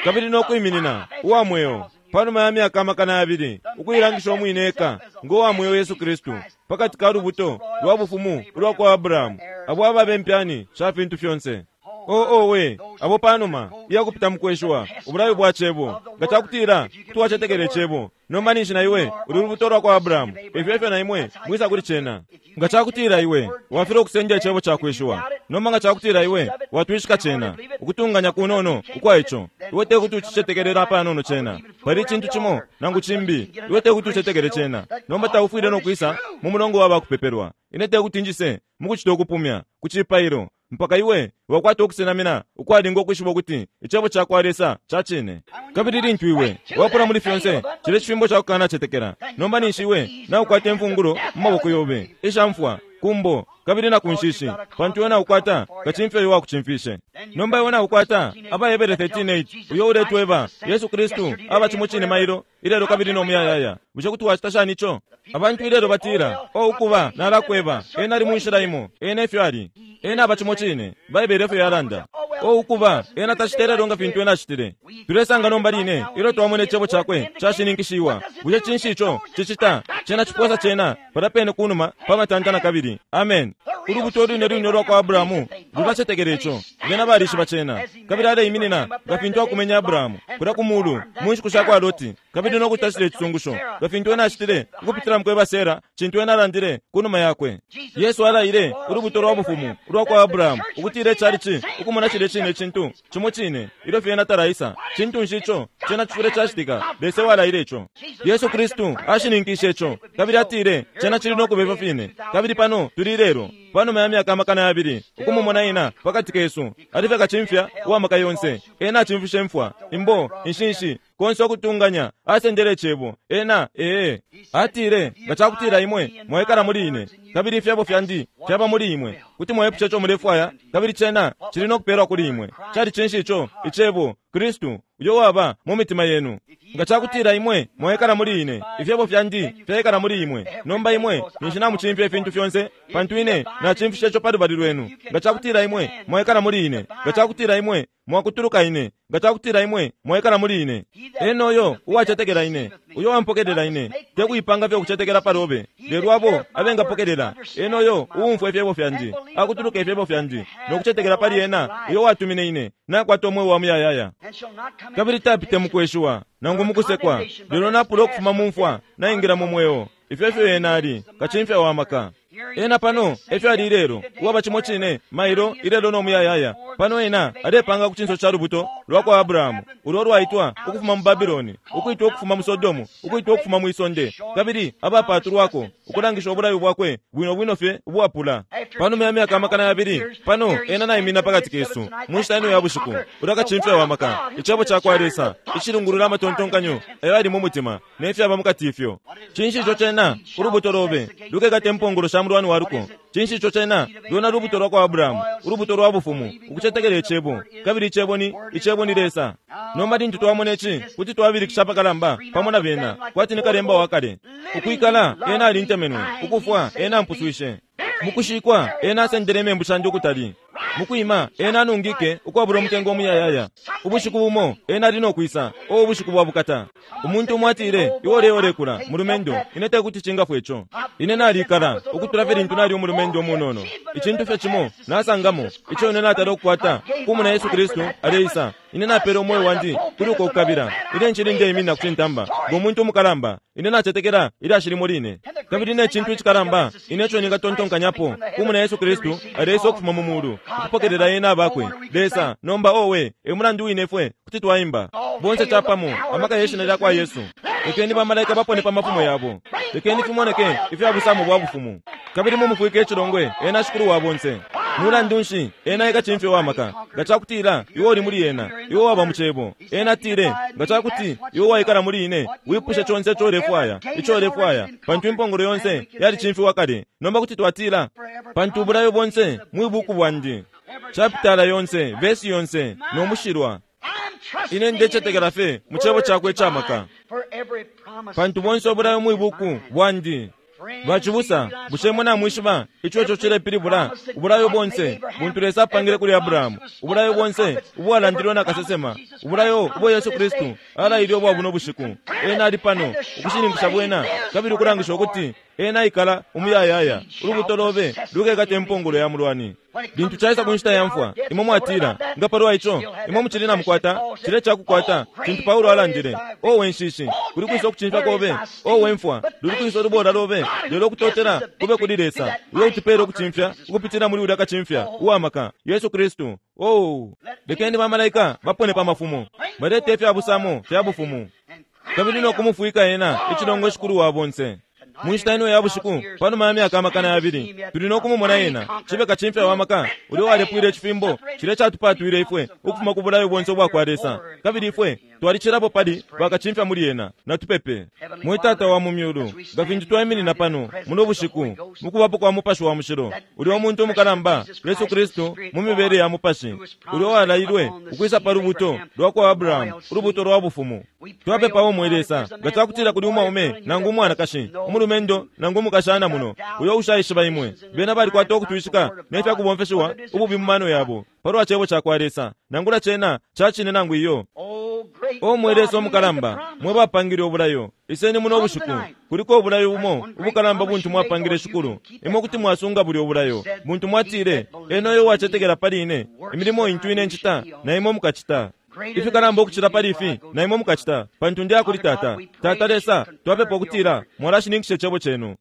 kabili no kwiminina uwa mweo panuma ya myaka amakana yabili, ukuilangisha umwine eka ngo wa mweo Yesu Kristu pakati ka lubuto lwa bufumu ulwa kwa Abrahamu, abo ababe impyani sha fintu fyonse. Oh, oh we, abo panuma iyakupita mukweshiwa ubulayo bwa cebo, nga cakutila tuwacetekele cebo, nomba ninshi na iwe uli lubuto lwa kwa Abrahamu, ifyo ifyo na imwe mwisa kuli cena. Nga cakutila iwe wafile ukusendya icebo cakweshiwa, nomba nga cakutila iwe watwishika cena, ukutunganya kunono ukwa ico, iwe tekuti ucicetekelela panono cena. Pali icintu cimo nangu cimbi, iwe tekuti ucetekele cena. Nomba taufwile no kwisa mu mulongo wa bakupepelwa. Ine tekuti njise mukucita ukupumya ku cipailo mpaka iwe wakwata ukusenamina ukwalinga ukwishiba ukuti icebo ca kwa Lesa ca cine. Kabili lintu iwe wapula muli fyonse cile cifimbo ca kukanacetekela, nomba ninshi iwe naukwata imfungulo mu maboko yobe isha mfwa, kumbo kabili na kunshishi, pantu iwe naukwata kacimfya uyo wakucimfishe. Nomba iwe naukwata Abahebere thirteen eight uyo uletweba Yesu Kristu aba cimo cine mailo ilelo kabili no muyayaya. Bushe kuti wacita shani ico? Abantu ilelo batila, o ukuba nalakweba, ena ali mu nshila imo, ena efyo ali, ena aba cimo cine, Baibele efyo yalanda. O ukuba ena tacitele nga fintu ena acitile. Tulesanga nomba line ilyo twamona icebo cakwe cashininkishiwa. Bushe cinshi ico cicita? Cena ciposa cena palya pene kunuma pa matanta na kabili. Amen. Ulubuto lwine lwine ulwa kwa Abrahamu lulacetekela ico. Bena balishiba cena. Kabili aleiminina nga fintu akumenya Abrahamu kulya ku mulu mu nshiku sha kwa Loti, kabili no kucita cilya icisungusho nga fintu ena acitile ukupitila mukweba Sera cintu ena alandile kunuma yakwe. Yesu alaile ulubuto lwa bufumu ulwa kwa Abrahamu ukutila icalici ukumona cilya cine icintu cimo cine ilyo fye ena talaisa. Cintu nshi ico? Cena cifwile cacitika. Lesa walaile ico. Yesu Kristu ashininkishe ico, kabili atile cena cili no kuba ifyo fine. Kabili pano tuli lelo, panuma ya myaka amakana yabili, ukumumona ena pakati kesu ali fye kacimfya uwa maka yonse. Ena acimfishe imfwa, imbo, inshinshi, konse ukutunganya, asendele icebo. Ena ee atile, nga cakutila imwe mwaikala muli ine, kabili ifyebo fyandi fyaba muli imwe, kuti mwaipusha ico mulefwaya, kabili cena cili no kupeelwa kuli imwe. Cali cinshi ico? Icebo, Kristu, uyo waba mu mitima yenu. Nga cakutila imwe mwaikala muli ine, ifyebo fyandi fyaikala muli imwe, nomba imwe ninshi namucimfya ifintu fyonse, pantu ine nacimfisha ico pa lubali lwenu. Nga cakutila imwe mwaikala muli ine, nga cakutila imwe mwakutuluka ine, nga cakutila imwe mwaikala muli ine, ena uyo uwacetekela ine, uyo wampokelela ine, te kuipanga fye ukucetekela palobe, lelo abo abengapokelela, ena uyo uumfwa ifyebo fyandi, akutuluka ifyebo fyandi, no kucetekela pali ena uyo watumine ine, nakwata umweo wa muyayaya. Kabili tapite mukweshiwa nangu mukusekwa, lelo napula ukufuma mu mfwa naingira mu mweo. Ifyo efyo ena ali, kacimfya wa maka. Ena pano efyo ali ilelo, uwaba cimo cine mailo, ilelo no muyayaya. Pano ena alepanga ku cinso ca lubuto lwa kwa Abrahamu, ulo lwaitwa ukufuma mu Babiloni, ukuitwa ukufuma mu Sodomu, ukuitwa ukufuma mu isonde, kabili abapatulwako ukulangisha ubulayo bwakwe bwino bwino fye ubwapula. Panuma ya myaka amakana yabili, pano ena naimina pakati kesu mu nshita ino ya bushiku, ulya kacimfya wa maka, icebo ca kwa Lesa icilungulula amatontonkanyo ayo ali mu mutima ne fyaba mukati ifyo. Cinshi ico cena? Ulubuto lobe lukekata impongolo sha mulwani wa luko. Cinshi ico cena? Lwena lubuto lwa kwa Abrahamu, ulubuto lwa bufumu, ukucetekela icebo, kabili icebo ni icebo ni Lesa. Nomba lintu twamona ici, kuti twabilikisha apakalamba pamo na bena, kwati ni kalemba wa kale. Ukwikala ena alintemenwe, ukufwa ena ampuswishe, mukushikwa ena asendele imembu shandi ukutali, mukwima ena anungike ukwabula umutengo umuyayaya. Ubushiku bumo ena ali no kwisa, o ubushiku bwa bukata. Umuntu umwe atile, iwe uleolekula mulumendo, ine tekuti cingafwe ico. Ine nalikala ukutula fye lintu nali umulumendo umunono. Icintu fye cimo nasangamo ico ine natala ukukwata kumuna Yesu Kristu aleisa. Ine napele umweo wandi kuli uko kukabila. Ine ncili ndeimina ku cintamba ngo muntu umukalamba. Ine nacetekela ilyashi limo line, kabili ne cintu icikalamba ine ico ningatontonkanyapo kumuna Yesu Kristu aleisa ukufuma mu mulu ukupokelela ena abakwe. Lesa nomba owe e mulandu wine ifwe kuti twaimba bonse capamo amaka ye shina lya kwa Yesu. Lekeni bamalaika bapone pa mafumo yabo, lekeni fimoneke ifya busamo bwa bufumu, kabili mumufwike icilongwe ena shikulu wa bonse. Mulandu nshi ena ekacimfya wa maka? Nga cakutila iwe uli muli ena, iwe waba mu cebo. Ena atile, nga cakuti iwe waikala muli ine, wipushe conse ico ulefwaya, ico ulefwaya, pantu impongolo yonse yalicimfiwa kale. Nomba kuti twatila, pantu ubulayo bonse mwi buku bwandi, chapitala yonse, vesi yonse, no mushilwa. Ine ndecetekela fye mu cebo cakwe icamaka, pantu bonse ubulayo mwi buku bwandi. Bacibusa, bushe mwe namwishiba ico ico cilepilibula? Ubulayo bonse buntu Lesa apangile kuli Abrahamu, ubulayo bonse ubwalandilwe na kasesema, ubulayo ubwo Yesu Kristu alaile ubwa buno bushiku. Ena ali pano ukushininkisha bwena, kabili ukulangisha ukuti ena aikala umuyayaya. Ulubuto lobe lukekata impongolo ya mulwani. Lintu caisa ku nshita ya mfwa, imwe mwatila, nga palwa ico imwe mucili namukwata cile cakukwata cintu Paulo alandile. Owe nshishi, kuli kwisa ukucimfya kobe, owe mfwa, luli kwisa ulubola lobe, lelo ukutotela kube kuli Lesa uyo utupele ukucimfya ukupitila muli ulya kacimfya uwamaka Yesu Kristu. Oh, lekeni bamalaika bapone pa mafumo, balete ifya busamo fya bufumu, kabili no kumufwika ena icilongo shikulu wa bonse. Mu nshita ino ya bushiku, panuma ya myaka amakana yabili, tuli no kumumona ena cibe kacimfya wa maka ulyo walepwile icifimbo cile catupatwile ifwe ukufuma ku bulayo bonse ubwa kwa Lesa, kabili ifwe twalicilapo pali bakacimfya muli ena. Natupepe. Mwe Tata wa mu myulu, nga fintu twaiminina pano muno bushiku mukubapo kwa Mupashi wa Mushilo, ulyo umuntu umukalamba Yesu Kristu mu mibele ya Mupashi, ulyo walailwe ukwisa pa lubuto lwa kwa Abrahamu, ulubuto lwa bufumu. Twapepawo mwe Lesa, nga cakutila kuli umwaume nangu umwanakashi, umulumendo nangu umukashana muno uyo ushaishiba imwe, bena balikwata ukutwishika ne fyakubomfeshiwa ububi mu mano yabo, palwa Cebo cakwa Lesa, nangula cena cacine nangu iyo. O mwe Lesa omukalamba, mwe bapangile obulayo, iseni muno bushiku, kuliko obulayo bumo ubukalamba buntu mwapangile Shikulu. Imwe kuti mwasunga buli obulayo buntu mwatile, eno oyo wacetekela pali ine, imilimo intu ine ncita na imwe mukacita. Ifikalamba ukucila pali ifi na imwe mukacita, pantu ndi akuli Tata. Tata Lesa, twapepa ukutila mwalashininkisha icebo cenu.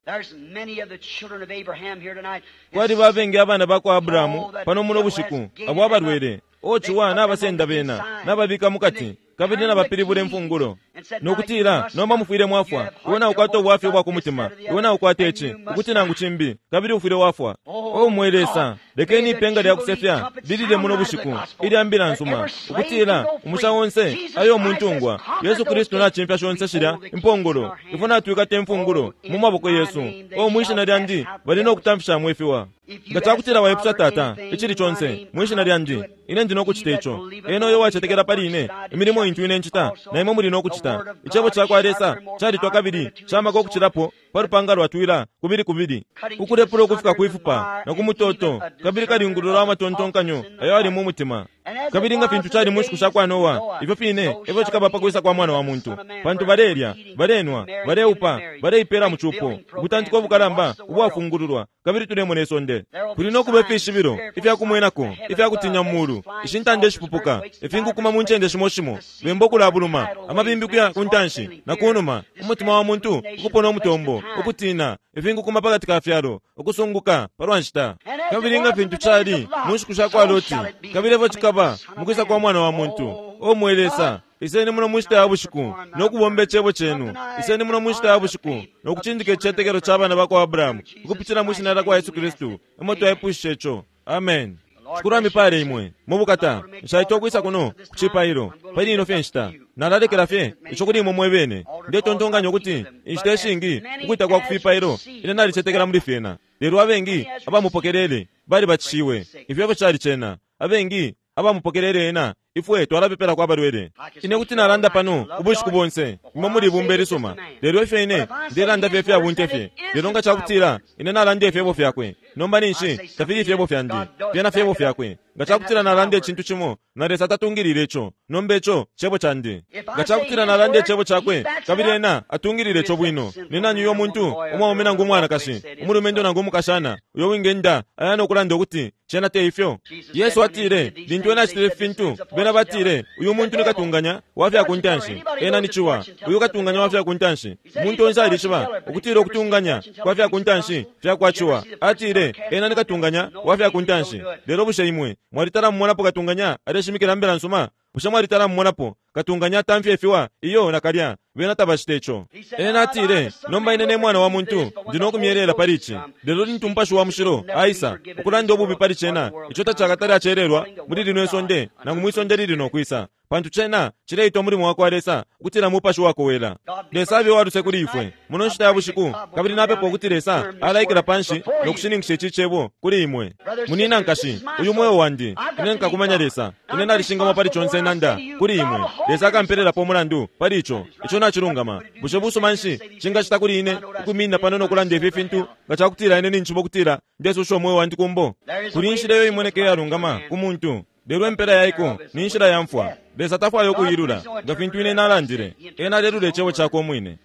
Kwaliba abengi abana bakwa Abrahamu pano muno bushiku abo abalwele, ochiwa n'abasenda bena n'ababika mukati, kabili n'abapilibula emfungulo nokutila nomba mufwile mwafwa. Iwe naukwata obwafya obwa ku mutima, iwe naukwata ici ukuti nangu cimbi, kabili ufwile wafwa. O mwe Lesa, lekeni ipenga lya kusefya lilile muno bushiku ilya mbila nsuma, ukutila umusha onse ayo omuntungwa. Yesu Kristu nachimfya shonse shilya impongolo, ifwe natwikata emfungulo mu maboko yesu. O mwishina lyandi bali nokutamfishamwe ifiwa. Nga cakutila waipusha Tata icili conse mwishina lyandi, ine ndi nokucita ico. Ena oyo wacetekela pali ine, imilimo intu ine ncita na imwe muli nokucita. Icebo cakwa Lesa calitwa kabili camaka ukucilapo pa lupanga lwatwila kubili kubili, ukulepula ukufika kwifupa na ku mutoto, kabili kalingulula amatontonkanyo ayo ali mu mutima. Kabili nga fintu cali mu nshiku sha kwa Noa, ifyo fine efyo cikaba pa kwisa kwa Mwana wa Muntu. Pantu balelya, balenwa, baleupa, baleipela mu cupo, ubutantika obukalamba ubwafungululwa, kabili tulemona isonde. Kuli nokuba ifishibilo ifyakumwenako ifyakutinya mu mulu, ishintanda ishipupuka, ifinkukuma mu ncende shimo shimo, bemba okulabuluma, amabimbi kuya ku ntanshi na ku numa, umutima wa muntu ukupona umutombo, ukutina, ifinkukuma pakati ka fyalo, ukusunguka palwa nshita. Kabili nga fintu cali mu nshiku sha kwa Loti, kabili efyo cikaba mukwisa kwa Mwana wa Muntu. O mwe Lesa, iseni muno mu nshita ya bushiku nokubomba icebo cenu. Iseni muno mu nshita ya bushiku nokucindika icicetekelo ca bana bakwa Abrahamu, ukupitila mu shina lyakwa Yesu Kristu emo twaipushisha ico. Amen. Shikulu amipale imwe mubukata. Nshaita okwisa kuno ku cipailo pali ino fye nshita, nalalekela fye ico kuli imwe mwebene. Ndetontonkanya ukuti inshita ishingi ukwita kwa kufipailo ine nalicetekela muli fyena, lelo abengi abamupokelele balibatishiwe. Ifyo efyo cali cena, abengi abamupokelele ena, ifwe twalapepela kwa balwele. Ine kuti nalanda pano ubushiku bonse, imwe muli ibumba ilisuma, lelo ifyo ine ndelanda fye fyabunte fye. Lelo nga cakutila ine nalanda ifyebo fyakwe, nomba ninshi tafili ifyebo fyandi, fyena fyebo fyakwe. Nga cakutila nalanda icintu cimo na Lesa tatungilile ico, nomba ico cebo candi. Nga cakutila nalanda icebo cakwe kabili ena atungilile ico bwino, ni nani uyo muntu umwaume nangu umwanakashi, umulumendo nangu umukashana, uyo wingenda aya nokulanda ukuti cena te ifyo? Yesu atile lintu ena acitile ifintu, bena batile uyu muntu ni katunganya wa fya ku ntanshi, ena ni ciwa. Uyu katunganya wa fya ku ntanshi, umuntu onse alishiba ukutila ukutunganya kwa fya ku ntanshi fya kwa ciwa. Atile ena ni katunganya wa fya ku ntanshi. Lelo bushe imwe mwalitala mumonapo katunganya aleshimikila mbila nsuma? Bushe mwalitala mumonapo katunganya atamfya ifiwa? Iyo nakalya, bena tabacita ico. Ena atile, nomba ine ne Mwana wa Muntu ndi nokumyelela pali ici. Lelo lintu Umupashi wa Mushilo aisa ukulanda ububi pali cena, ico tacakatale acelelwa muli lino isonde nangu mwisonde lili nokwisa, pantu cena cileitwa mulimo wa kwa Lesa ukutila Mupashi wakowela. Lesa abe waluse kuli ifwe muno nshita ya bushiku, kabili napepa ukuti Lesa alaikila panshi nokushininkisha ici cebo kuli imwe. Munina nkashi, uyu mweo wandi, ine nkakumanya Lesa. Ine nalishingamwa pali conse nanda kuli imwe. Lesa akampererapo umulandu pali ico. Ico nacilungama. Bushe busuma nshi cingacita kuli ine ukuminina pano nokulanda ifi fintu nga cakutila ine ninchiba ukutila ndesusha umweo wandi kumbo? Kuli inshila iyo imoneka iyalungama ku muntu, lelo empela yaiko ni nshila ya mfwa. Lesa tafwaya okuyilula nga fintu ine nalandile. Ena alelula icebo cakwe umwine.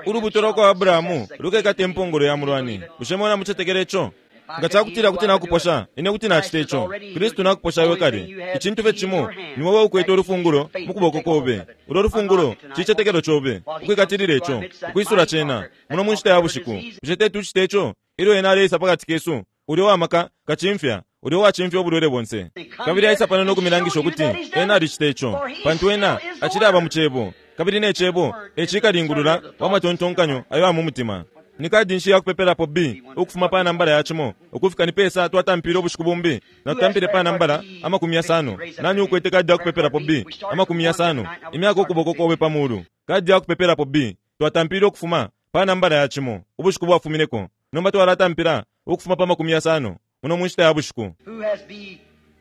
Ulubuto lwa kwa Abrahamu lukekata impongolo ya mulwani. Bushe mwena mucetekela ico? Nga cakutila kuti nakuposha, ine kuti nacita ico. Kristu nakuposha iwe kale. Icintu fye cimo ni wowe ukwete ulufungulo mu kuboko kobe. Ulo lufungulo cicetekelo cobe, ukwikatilila ico, ukwisula cena muno mu nshita ya bushiku. Bushe tetucite ico? Ilyo ena aleisa pakati kesu, ulyo wamaka kacimfya, ulyo wacimfya obulwele bonse, kabili aisa pano nokumilangisha ukuti ena alicita ico, pantu ena acili aba mu cebo, kabili ne cebo ecikalingulula wa matontonkanyo ayo amu mutima. Ni kadi nshi yakupepelapo B ukufuma pa nambala ya cimo ukufika ni pesa twatampile ubushiku bumbi na tutampile pa nambala amakumi yasano. Nani ukwete kadi yakupepelapo B amakumi yasano? Imyaka ukuboko kobe pa mulu. Kadi yakupepelapo B twatampile ukufuma pa nambala ya cimo ubushiku bwafumineko, nomba twalatampila ukufuma pa makumi yasano muno mu nshita ya bushiku.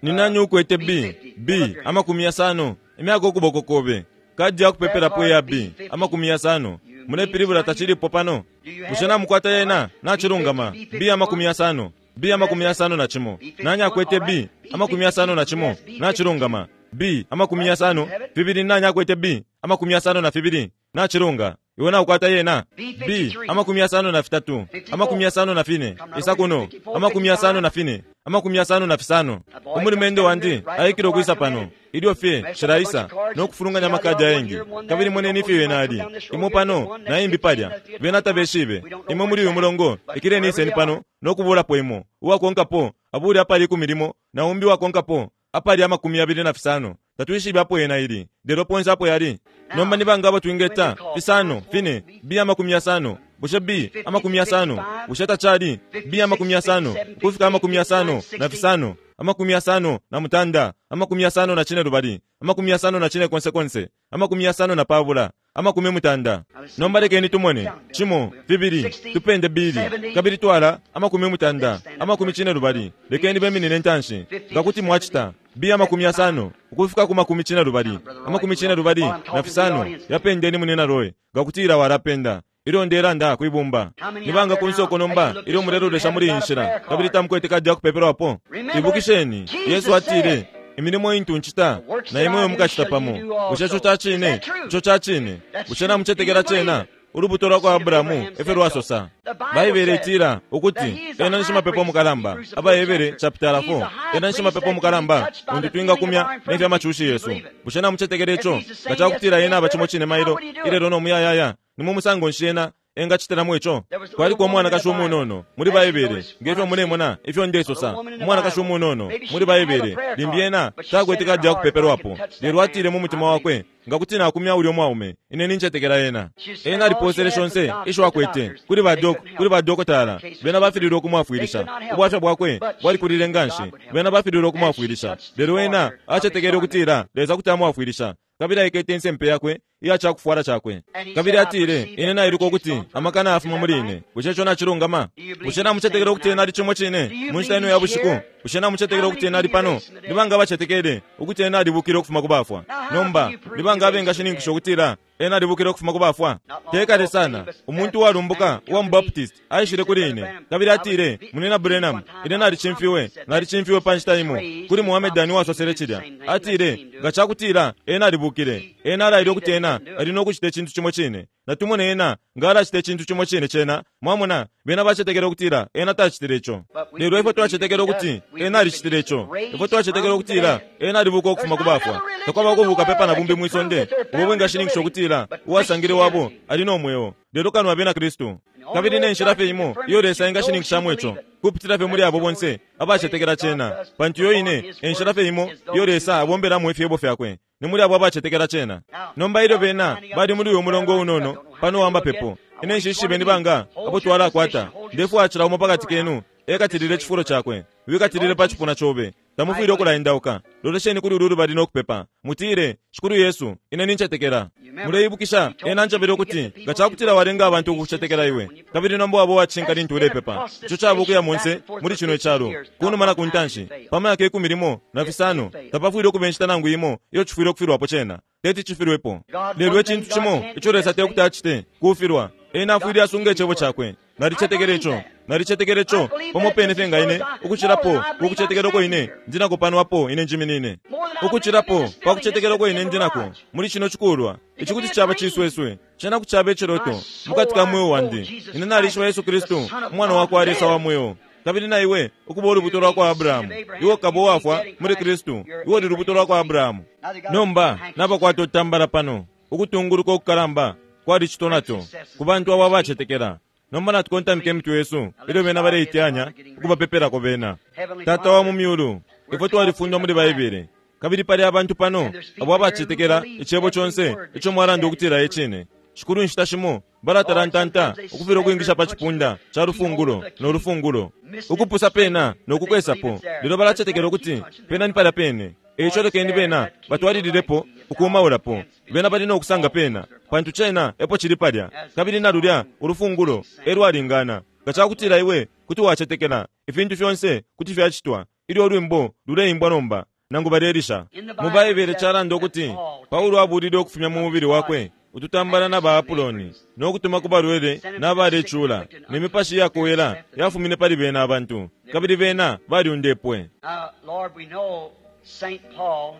Ni nani ukwete B B amakumi yasano? Imyaka ukuboko kobe. Kadi yakupepelapo ya B amakumi yasano. Mulepilibula tachilipo pano. Bushe namukwata yena nachilungama B amakumi yasano. B amakumi yasano na cimo. Nani akwete B amakumi yasano na cimo? Nachilungama. B amakumi yasano fibili. Nani akwete B amakumi yasano na fibili? Nachilunga. Iwe naukwata yena. B amakumi yasano na fitatu, amakumi yasano na fine. Isakuno amakumi yasano na fine, amakumi yasano na fisano. Umulumendo wandi aikile okwisa pano ilyo fye shilaisa nokufulunganya amakadi ayengi. Kabili moneni ifyo yena ali imo pano na imbi palya bena tabeshibe. Imwe muli uyu mulongo ikileni iseni pano nokubulapo imo uwakonkapo abuli apali ikumi limo na umbi uwakonkapo apali amakumi yabili na fisano. Tatwishibe apo yena ili lelo ponse apo yali. Nomba ni banga abo twingeta fisano fine. B amakumi yasano. Bushe B amakumi yasano? Bushe tachali B amakumi yasano kufika amakumi yasano na fisano, amakumi yasano na mutanda, amakumi yasano na chine lubali, amakumi yasano na chine konse konse, amakumi yasano na pabula, amakumi mutanda. Nomba lekeni tumone chimo fibili tupende bili kabili twala amakumi mutanda amakumi chine lubali. Lekeni beminine ntanshi ngakuti mwachita B amakumi yasano ukufika ku makumi chine lubali, amakumi chine lubali na fisano. Yapendeni munena roe ngakutira warapenda ilyo ndelanda kwibumba. Nibanga kunsoko nomba ilyo mulelolesha muli inshila kabili tamukwete kadi yakupeperwapo. Ibukisheni Yesu atile imilimo intu nchita na imwe mukachita pamo. Bushe ico cacine? Ico cacine. Bushe namucetekela cena? Ulubuto lwa kwa Abrahamu efyo lwasosa. Baibele itila ukuti ena ni shimapepo mukalamba. Abaebere chapter four. Ena ni shimapepo mukalamba untu twingakumya nefya machushi Yesu. Bushe namucetekela ico? Nga cakutila ena aba cimo cine mailo ilelo no muyayaya ni mumusango nshi ena engachiteramo ico? Kwaliko umwanakashi umunono muli Baibele ngefyo mulemona ifyo ndesosa. Umwanakashi umunono muli Baibele limbi ena takwete kadi yakupeperwapo, lelo atile mu mutima wakwe ngakuti nakumya ulyo mwaume ine nincetekela ena. Ena aliposele shonse isho akwete kuli badok kuli badokotala. Bena bafililwe okumwafwilisha. Ubwafya bwakwe bwalikulile nganshi. Bena bafililwe okumwafwilisha, lelo ena acetekele ukutila Lesa kuti amwafwilisha. Kabili aikete insempe yakwe iya cakufwala cakwe. Kabili atile ine nailuka ukuti amakana afuma muli ine. Bushe ico nachilungama? Bushe namucetekela ukuti ena ali cimo cine mu nshita ino ya bushiku? Bushe namucetekela ukuti ena ali pano? Ni banga bacetekele ukuti ena alibukile ukufuma ku bafwa? Nomba ni banga abengashininkisha ukutila ena alibukile ukufuma ku bafwa? Tekale sana umuntu uwalumbuka uwa mu Baptist aishile kuli ine kabili atile munina Branham, ine nalicimfiwe nalicimfiwe pa nshita imo kuli Muhammedani uwasosele cilya. Atile nga cakutila ena alibukile, ena alaile ukuti ena ali nokucita icintu cimo cine. Natumone ena nga alacita icintu cimo cine cena. Mwamona bena bacetekela ukutila ena tacitile ico, lelo ifwe twacetekela ukuti ena alicitile ico. Ifwe twacetekela ukutila ena alibuka ukufuma ku bafwa. Takwaba kubuka pepa na bumbi mwisonde ubo bwingashininkisha ukutila uwasangile wabo ali no mweo, lelo kano abena Kristu. Kabili ne nshila fye imo iyo Lesa engashininkishamo ico kupitila fye muli abo bonse abacetekela cena, pantu iyo ine enshila fye imo iyo Lesa abombelamo ifyebo fyakwe ni muli abo abacetekela cena. Nomba ilyo bena bali muli uyu mulongo unono pano wamba pepo ine nshishibe ni banga abo twalakwata. Ndefwaya umo pakati kenu ekatilile chifulo chakwe, wikatilile pa chipuna chobe. Tamufwile okulaendauka. Lolesheni kuli ulu lubali nokupepa mutile Shikulu Yesu ine nincetekela. Muleibukisha ena njabile ukuti nga cakutila walenga abantu ukucetekela iwe kabili nomba wabo wacinka lintu ulepepa. Ico caba ukuya monse muli chino icalo kunuma na kuntanshi pa myaka ikumi limo na fisano tapafwile okuba enshita nangu imo iyo cifwile okufilwapo cena teti cifilwepo. Lelo ecintu cimo ico Lesa tekuti acite kufilwa. Ena afwile asunga icebo cakwe. Nalicetekela ico, nalicetekela ico pamo pene fye nga ine ukucilapo kukucetekela ine ndinako pano apo ine njiminine ukucilapo pakucetekela ine ndinako muli chino chikulwa. Ici kuti caba cisweswe cena kucaba iciloto mukati ka mweo wandi. Ine nalishiba Yesu Kristu umwana wakwa Lesa wa mweo, kabili na iwe ukuba ulubuto lwa kwa Abrahamu. Iwe ukaba uwafwa muli Kristu, iwe uli lubuto lwa kwa Abrahamu. Nomba nabakwata utambala pano ukutunguluka okukalamba kwali citonato ku bantu abo abacetekela. Nomba natukontamike emitwe yesu ilyo bena baleiteyanya ukubapepelako bena. Tata wa mu myulu, ifwe twalifundwa muli Baibele kabili pali abantu pano abo abacetekela icebo conse ico mwalanda ukutila ecine. Shikulu nshita shimo balatalantanta ukufila ukwingisha pa chipunda cha lufungulo no lufungulo ukupusa pena nokukwesapo, lelo balacetekela ukuti pena ni palya pene. Eico lekeni bena batwalililepo ukumaulapo. Bena bali nokusanga pena pantu cena epo cili palya, kabili na lulya ulufungulo elwalingana. Nga cakutila iwe kuti wacetekela ifintu fyonse kuti fyacitwa ilyo ulwimbo luleimbwa nomba nangu balelisha. Mu Baibele calanda ukuti Paulo abulile ukufumya mu mubili wakwe Ututambala na baapuloni no kutuma ku balwele na balecula, ne mipashi yakowela yafumine pali bena abantu, kabili bena balyundepwe. Now, Lord, we know Saint Paul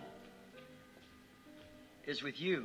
is with you.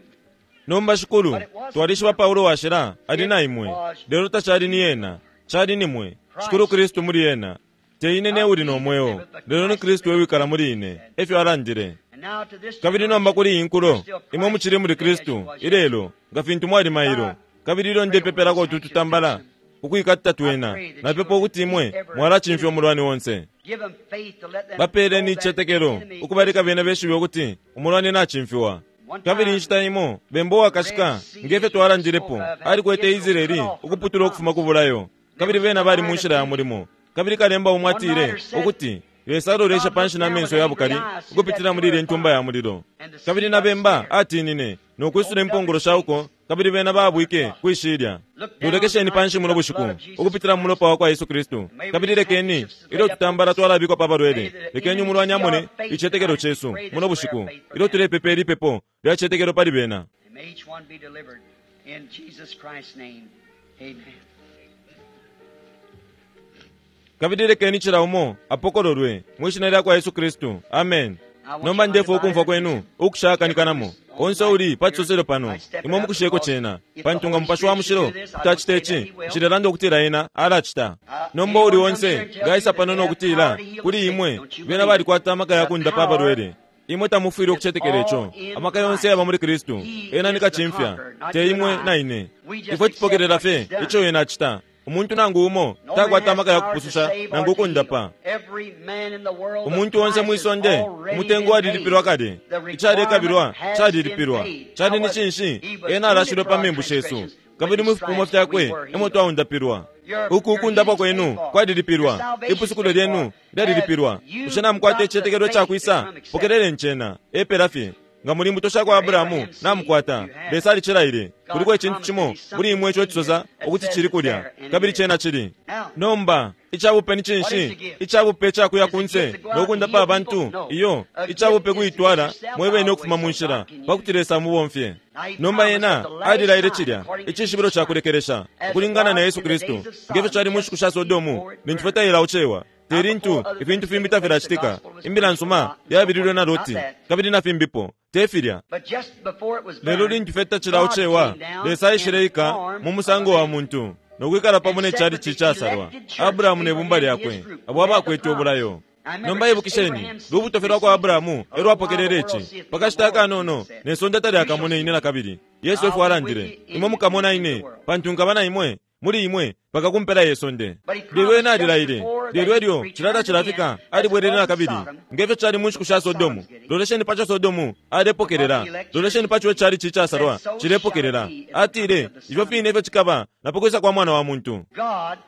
Nomba Shikulu, twalishiba Paulo washila ali na imwe, lelo tacali ni ena, cali ni mwe, Shikulu Kristu muli ena. Te ine ne uli no mweo, lelo ni Kristu ewikala muli ine, efyo alandile. And now to this Kabili nomba kuli iyi nkulo, imwe mucili muli Kristu, ilelo, nga fintu mwali mailo, kabili ilyo ndepepelako utu tutambala, ukwikata twena, napepa ukuti imwe mwalacimfya umulwani onse. Give them faith to let them Bapeeleni know that icetekelo, the enemy ukubaleka bena beshibe ukuti umulwani nacimfiwa. Kabili inshita imo, bemba uwakashika, ngefyo twalandilepo, alikwete Israeli ukuputula ukufuma ku bulayo, kabili bena bali mu nshila ya mulimo. Kabili kalemba umo atile ukuti Lesa alolesha panshi na menso ya bukali ukupitila muli ilya ntumba ya mulilo. Kabili na bemba atinine no kwisula impongolo shauko, kabili bena baabwike kwishilya. Lolekesheni panshi muno bushiku ukupitila mu mulopa wa kwa Yesu Kristu. Kabili lekeni ilyo tutambala twalabikwa pa balwele, lekeni umulwani amone icetekelo cesu muno bushiku ilyo tulepepa ilipepo lya cetekelo pali bena. And may each one be delivered in Jesus Christ's name. Amen. Kabili lekeni cila umo apokololwe mwishina lya kwa Yesu Kristu. Amen. Nomba ndefwa ukumfwa kwenu ukushakanikanamo onse uli pa cisoselo pano, imwe mukusheko cena, pantu nga Mupashi wa Mushilo kutacita ici, nshilelanda ukutila ena alacita. Nomba uli onse ngaisa pano nokutila kuli imwe bena balikwata amaka ya kundapa abalwele, imwe tamufwile ukucetekela ico. Amaka yonse yaba muli Kristu, ena ni kacimfya, te imwe na ine. Ifwe tupokelela fye ico ena acita. Umuntu nangu umo takwata amaka ya kupususha nangu ukundapa. Every man in the world, Umuntu onse mwisonde umutengo walilipilwa kale, icalekabilwa calilipilwa. Cali ni cinshi? Ena alashilwe pa membu shesu, kabili mu fipimo fyakwe emo twaundapilwa. Uku ukundapwa kwenu kwalilipilwa, ipusukulo lyenu lyalilipilwa. Bushe namukwata icicetekelo cakwisa? Pokeleleni cena epela fye. Nga muli mbuto sha kwa Abrahamu namukwata, Lesa alicilaile. Kuliko icintu cimo muli imwe ico cisosa ukuti cili kulya, kabili cena cili. Nomba icabupe ni cinshi? Icabupe cakuya kunse nokundapa abantu? Iyo, icabupe kuitwala mwebene ukufuma mu nshila pakuti Lesa amubomfye. Nomba ena alilaile cilya icishibilo ca kulekelesha ukulingana na Yesu Kristu, ngefyo cali mu nshiku sha Sodomu lintu fye tailaucewa. Te lintu ifintu fimbi tafilacitika, imbila nsuma yabililwe na Loti kabili na fimbipo, te filya. But just before it was Lelo burned, lintu fye tacilaucewa, Lesa aishileika mu musango wa muntu nokwikala pamo ne chalichi casalwa, Abrahamu ne bumba lyakwe, abo abakwete ubulayo. Nomba ibukisheni, lubuto fye lwa kwa Abrahamu elwapokelele ici. Pakashita akanono ne sonde talyakamone ine na kabili. Yesu efo alandile, imwe mukamona ine, pantu nkaba na imwe muli imwe paka kumpela ye sonde. Lelo ena alilaile, lelo elyo cilala cilafika alibwelele na kabili, ngefyo cali mu nshiku sha Sodomu. Lolesheni paco Sodomu alepokelela, lolesheni paco icalichi casalwa cilepokelela. Atile, ifyo fine efyo cikaba na pakwisa kwa Mwana wa Muntu. God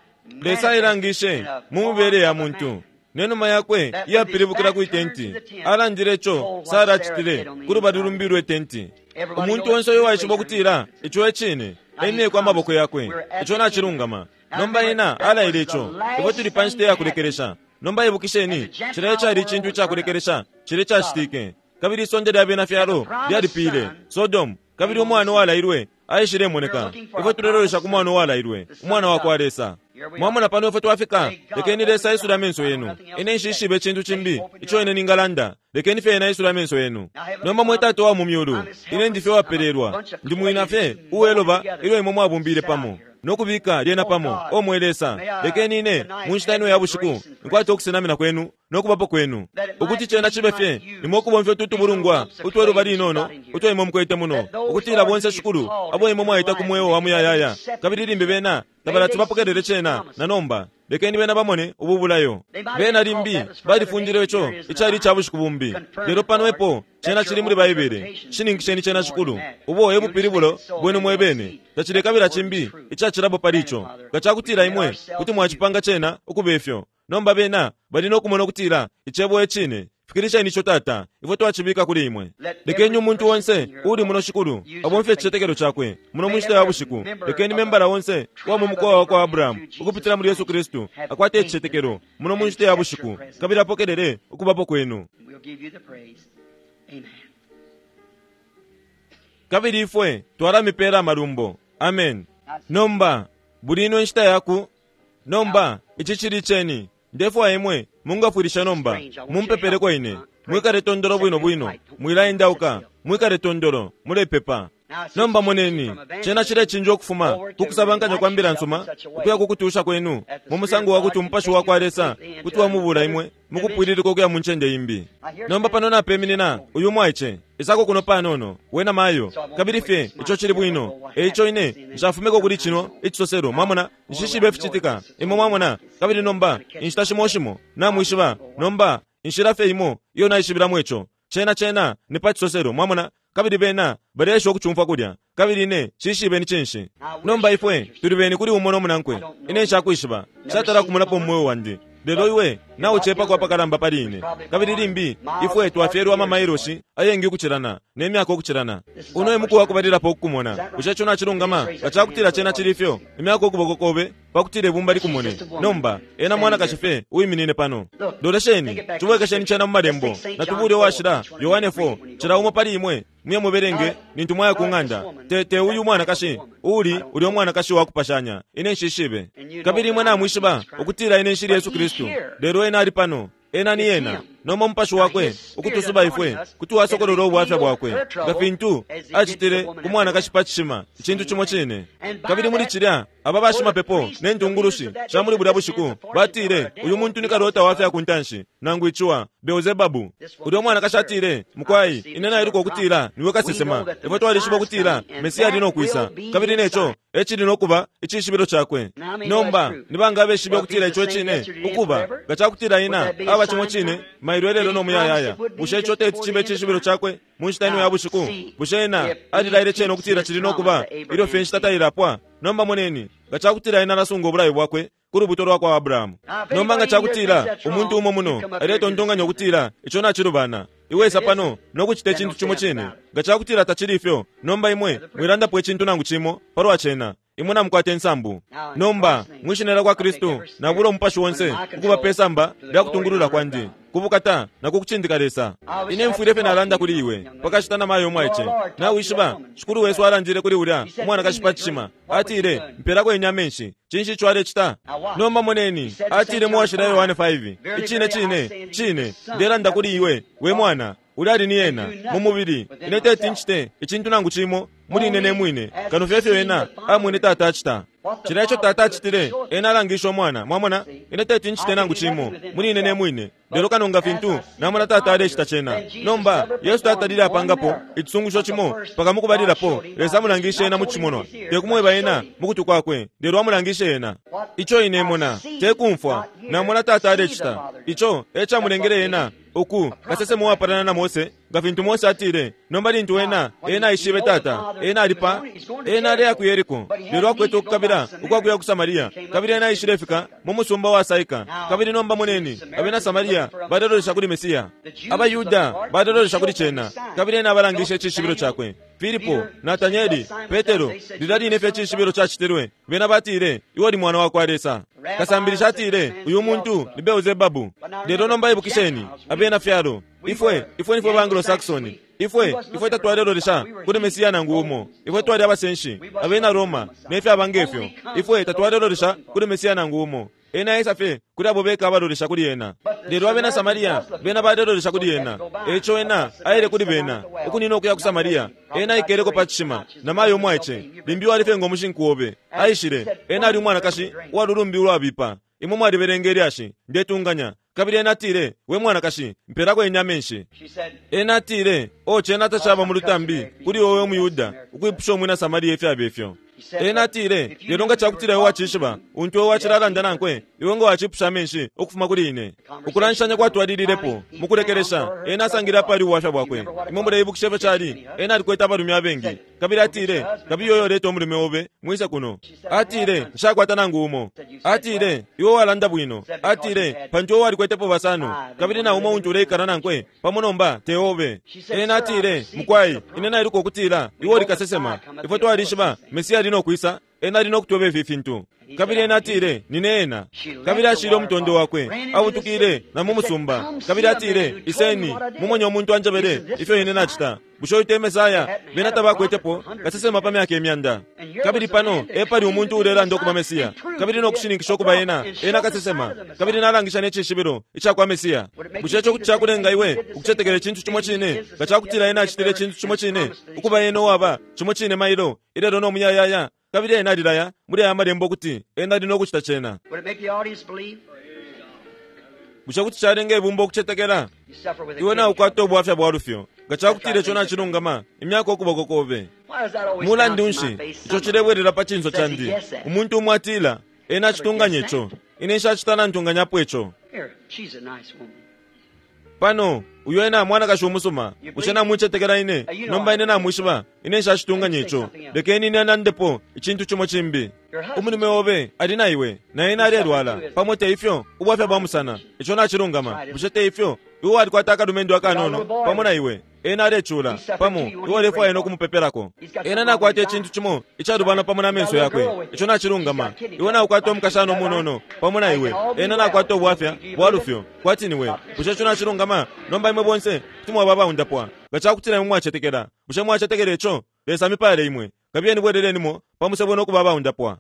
Lesa ailangishe mu mibele ya muntu nenuma yakwe iyapilibukila kwi tenti. Alandile ico Sara acitile ku lubali lumbi lwe tenti. Umuntu onse uyo waishiba ukutila ico e cine, emyeko amaboko yakwe, ico nacilungama. Nomba ena alaile ico, ifwe tuli pa nshita iyakulekelesha. Nomba ibukisheni, cilya cali icintu icakulekelesha cilya cacitike, kabili isonde lya bena fyalo lyalipile Sodomu, kabili umwana uwalailwe aishilemoneka. Ifwe tulelolesha ku mwana uwalailwe, umwana wa kwa Lesa. Mwamona pano ifwe twafika, lekeni Lesa aisule amenso yenu. Ine nshishibe icintu cimbi ico ine ningalanda, lekeni fye ena aisule amenso yenu. Nomba mwe Tata wa mu myulu, ine ndi fye wapelelwa, ndi mwina fye uweloba ilyo imwe mwabumbile pamo nokubika lyena pamo. O mwe Lesa, lekeni ine mu nshita ino ya bushiku nkwate ukusenamina kwenu nokubapo kwenu, ukuti cena cibe fye nimwe ukubomfya utu tubulungwa utweluba linono utwo imwe mukwete muno, ukutila bonse Shikulu abo imwe mwaita ku mweo wa muyayaya, kabili limbi bena tabalati bapokelele cena na nomba. Lekeni bena bamone ubu bulayo. Bena limbi balifundile ico icali ica bushiku bumbi, lelo pano epo cena cili muli Baibele. Shininkisheni cena Shikulu, ubo e bupilibulo bwenu mwebene. Tacilekabila cimbi icacilapo pali ico, nga cakutila imwe kuti mwacipanga cena ukuba ifyo. Nomba bena bali nokumona ukutila icebo e cine. Fikilisheni ico Tata, ifwe twacibika kuli imwe. Lekeni umuntu onse uli muno Shikulu abomfye icicetekelo cakwe muno mu nshita ya bushiku. Lekeni membala onse uwa mu mukowa wa kwa Abrahamu ukupitila muli Yesu Kristu akwate icicetekelo muno mu nshita ya bushiku, kabili apokelele ukubapo kwenu. We'll give you the praise. Amen. Kabili ifwe twalamipela amalumbo. Amen. Nomba buli ino inshita yaku nomba ichi chili cheni. Ndefwa imwe mungafwilisha nomba mumpepeleko ine. Mwikale tondolo bwino bwino, mwilaendauka, mwikale tondolo mulepepa. Nomba moneni chena chile chinjo okufuma kukusabankanya kwa mbila nsuma ukuya kukutusha kwenu mu musango wa kuti umupashi wa kwa Lesa kuti wamubula imwe mukupwililika okuya mu ncende imbi. Nomba pano napeminina uyu mwaiche isako kuno panono wena mayo kabili fye icho chili bwino eicho ine nshafumeko kuli chino ichisosero mwamona nshishibe fichitika imwe mwamona. Kabili nomba inshita shimo shimo namwishiba nomba inshila fye imo iyo naishibilamo icho chena chena ni pa chisosero mwamona. Kabili bena balesha okuchumfa kulya kabili ine shishibe ni chinshi. Nomba ifwe tuli beni kuli umo nomunankwe ine nshakwishiba shatala kumulapo mmoyo wandi lelo iwe nauchepa kwa pakalamba pali ine. Kabili limbi ifwe twafyelwa amamailoshi ayengi ukuchilana nemyaka ukuchilana. Uno emuku wakubalilapo okukumona bushe chona chilungama ngachakutila chena chilifyo imyaka okuboko kobe pakutile ibumba likumone. Nomba ena mwana kashife uyiminine pano. Lolesheni chibwekesheni chena mu malembo natubule washila Yohane four chila umo pali imwe muye muberenge nintu mwaya kung'anda tete uyu mwana kashi uli uli omwana kashi wakupashanya ine nshishibe. Kabili imwe namwishiba okutila ine nshili Yesu Kristu lelo ena ali pano ena ni ena noma umupashi wakwe ukutusuba ifwe kuti wasokolola obwafya bwakwe nga fintu achitile ku mwana kashi pa chishima ichintu chimo chine. Kabili muli chilya aba bashimapepo ne ntungulushi sha muli bulya bushiku batile uyu muntu ni kalota wafya kuntanshi nangu ichiwa Beelzebabu. Ulya omwana kashi atile mukwai ine nailuka okutila niwe kasesema ifwe twalishiba okutila Mesiya ali nokwisa kabili necho echili nokuba echishibilo chakwe. Nomba nibanga abeshibe okutila icho chine ukuba ngachakutila ina aba chimo chine mailwelelo nomuyayaya bushe icho teti chibe echishibilo chakwe munshita ino ya bushiku bushe ena alilaile chene okutila chili nokuba ilyo fye nshita tailapwa. Nomba moneni ngachakutila ena alasunga obulayi bwakwe ku lubuto lwa kwa Abrahamu. Nomba ngachakutila umuntu umo muno aletontonganya okutila icho nachilubana iwesa pano nokuchita echintu chimo chine ngachakutila tachili ifyo. Nomba imwe mwilandapo echintu nangu chimo palwa chena imwe namukwata ensambu. Nomba mwishinela kwa Kristu nabula umupashi wonse ukuba pesamba lyakutungulula kwandi kubukata nakukuchindika Lesa. Ine mfwile fye nalanda kuli iwe pakashita na mayo omwaiche nawishiba shikulu wesu alandile kuli ulya umwana kashipa chishima atile mpelako ine amenshi chinshi icho alechita. Nomba moneni atile muwashila Yohane five ichine chine chine ndelanda kuli iwe we mwana uli ali ni ena mu mubili ine teti nchite ichintu nangu chimo muli ine nemwine kano fyefyo ena amwine tata achita chila icho tata achitile ena alangisha omwana mwamona ine teti nchite nangu chimo muli ine nemwine lelo kano nga fintu namona tata alechita chena. Nomba Yesu tatalile apangapo ichisungusho chimo paka mukubalilapo Lesa amulangishe ena mu chimonwa tekumweba ena mukutu kwakwe lelo amulangishe ena icho ine mona tekumfwa namona tata alechita icho echamulengele ena uku kasesema uwapalana na Mose nga fintu Mose atile nomba lintu ena ena aishibe tata ena alipa ena aleya ku Yeriko lelo akwete okukabila ukwakuya ku Samaria kabili ena aishilefika mu musumba wa Saika. Kabili nomba moneni abena Samaria balelolesha kuli Mesiya abayuda balelolesha kuli chena kabili ena abalangishe echishibilo chakwe. Filipo, Natanieli, Petero lila line fye echishibilo chachitilwe bena batile iwe oli mwana wa kwa Lesa. Kasambilisha atile uyu muntu ni Beelzebabu. Lelo nomba ibukisheni abena fyalo ifwe ifwe nifwe ba Anglo-Saxon ifwe ifwe tatwalelolesha kuli Mesiya nangu umo ifwe twali abasenshi abena Roma nefye abangefyo ifwe tatwalelolesha kuli Mesiya nangu umo ena esa fye kuli abo beka abalolesha kuli ena. Lelo abena Samaria bena balelolesha kuli ena echo ena aile kuli bena ukunina okuya ku Samaria ena aikeleko pa chishima namayo omwaiche limbi walife ngomushinku obe aishile ena ali umwana kashi uwalulumbi ulwabipa imwe mwalibelenga elyashi ndetunganya. Kabili ena atile we mwana kashi mpelako ine amenshi. Ena atile o chena tachaba mu lutambi kuli wowe omuyuda ukwipusha omwina Samaria ifyaba ifyo. Ena atile lelo ngachakutila iwe wachishiba untu iwe wachilalanda nankwe iwe nga wachipusha amenshi okufuma kuli ine. Ukulanshanya kwatwalililepo mukulekelesha ena asangile apali ubwafya bwakwe. Imwe muleibukisha ifyo chali ena alikwete abalume abengi kabili atile kabi yoyo leta omulume obe mwise kuno. Atile nshakwata nangu umo. Atile iwe walanda bwino. Atile pantu iwe walikwetepo basano kabili na umo untu uleikala nankwe pamo nomba te obe. Ena atile mukwai ine nailuka okutila iwe oli kasesema ifwe twalishiba Mesiya ali nokwisa Ena ali nokutweba ifi fintu. Kabili ena atile, nine ena. Kabili ashile umutondo wakwe, abutukile na mu musumba. Kabili atile, iseni, mumonye umuntu anjebele ifyo ine nacita. Bushe uyu te Mesaya? Bena tabakwetepo kasesema pa myaka imyanda. Kabili pano epali umuntu ulelanda ukuba Mesiya, kabili nokushininkisha ukuba ena ena kasesema, kabili nalangisha necishibilo ica kwa Mesiya. Bushe ico kuti cakulenga iwe ukucetekela icintu cimo cine nga cakutila ena acitile icintu cimo cine, ukuba ena uwaba cimo cine mailo ilelo no muyayaya? Kabili ena alilaya muli aya malembo ukuti ena ali nokucita cena. Bushe kuti calenga ibumba ukucetekela? Iwe naukwata ubwafya bwa lufyo. Nga cakutila ico nacilungama, imyaka ukuboko kobe. Mulandu nshi ico cilebwelela pa cinso candi? Umuntu umwe atila, ena acitunganya ico. Ine nshacita nantunganyapo ico. Pano, uyo ena mwanakashi umusuma. Bushe namwicetekela ine? Nomba ine namwishiba, ine nshacitunganya ico. Lekeni ine nandepo icintu cimo cimbi. Umulume obe ali na iwe, na ena alelwala. Pamo te ifyo, ubwafya bwa musana. Ico nacilungama. Bushe te ifyo? Iwe walikwata akalumendo akanono pamo na iwe. Ena alecula pamo, iwe ulefwaya nokumupepelako. Ena nakwata icintu cimo icalubana pamo na menso yakwe. Ico nacilungama. Iwe naukwata umukashana umunono pamo na iwe. Ena nakwata ubwafya bwa lufyo kwati niwe. Bushe ico nacilungama? Nomba imwe bonse kuti mwaba abaundapwa nga cakutila imwe mwacetekela. Bushe mwacetekela ico? Lesa amipale imwe. Kabiyeni bwelelenimo pamusebo nokuba abaundapwa.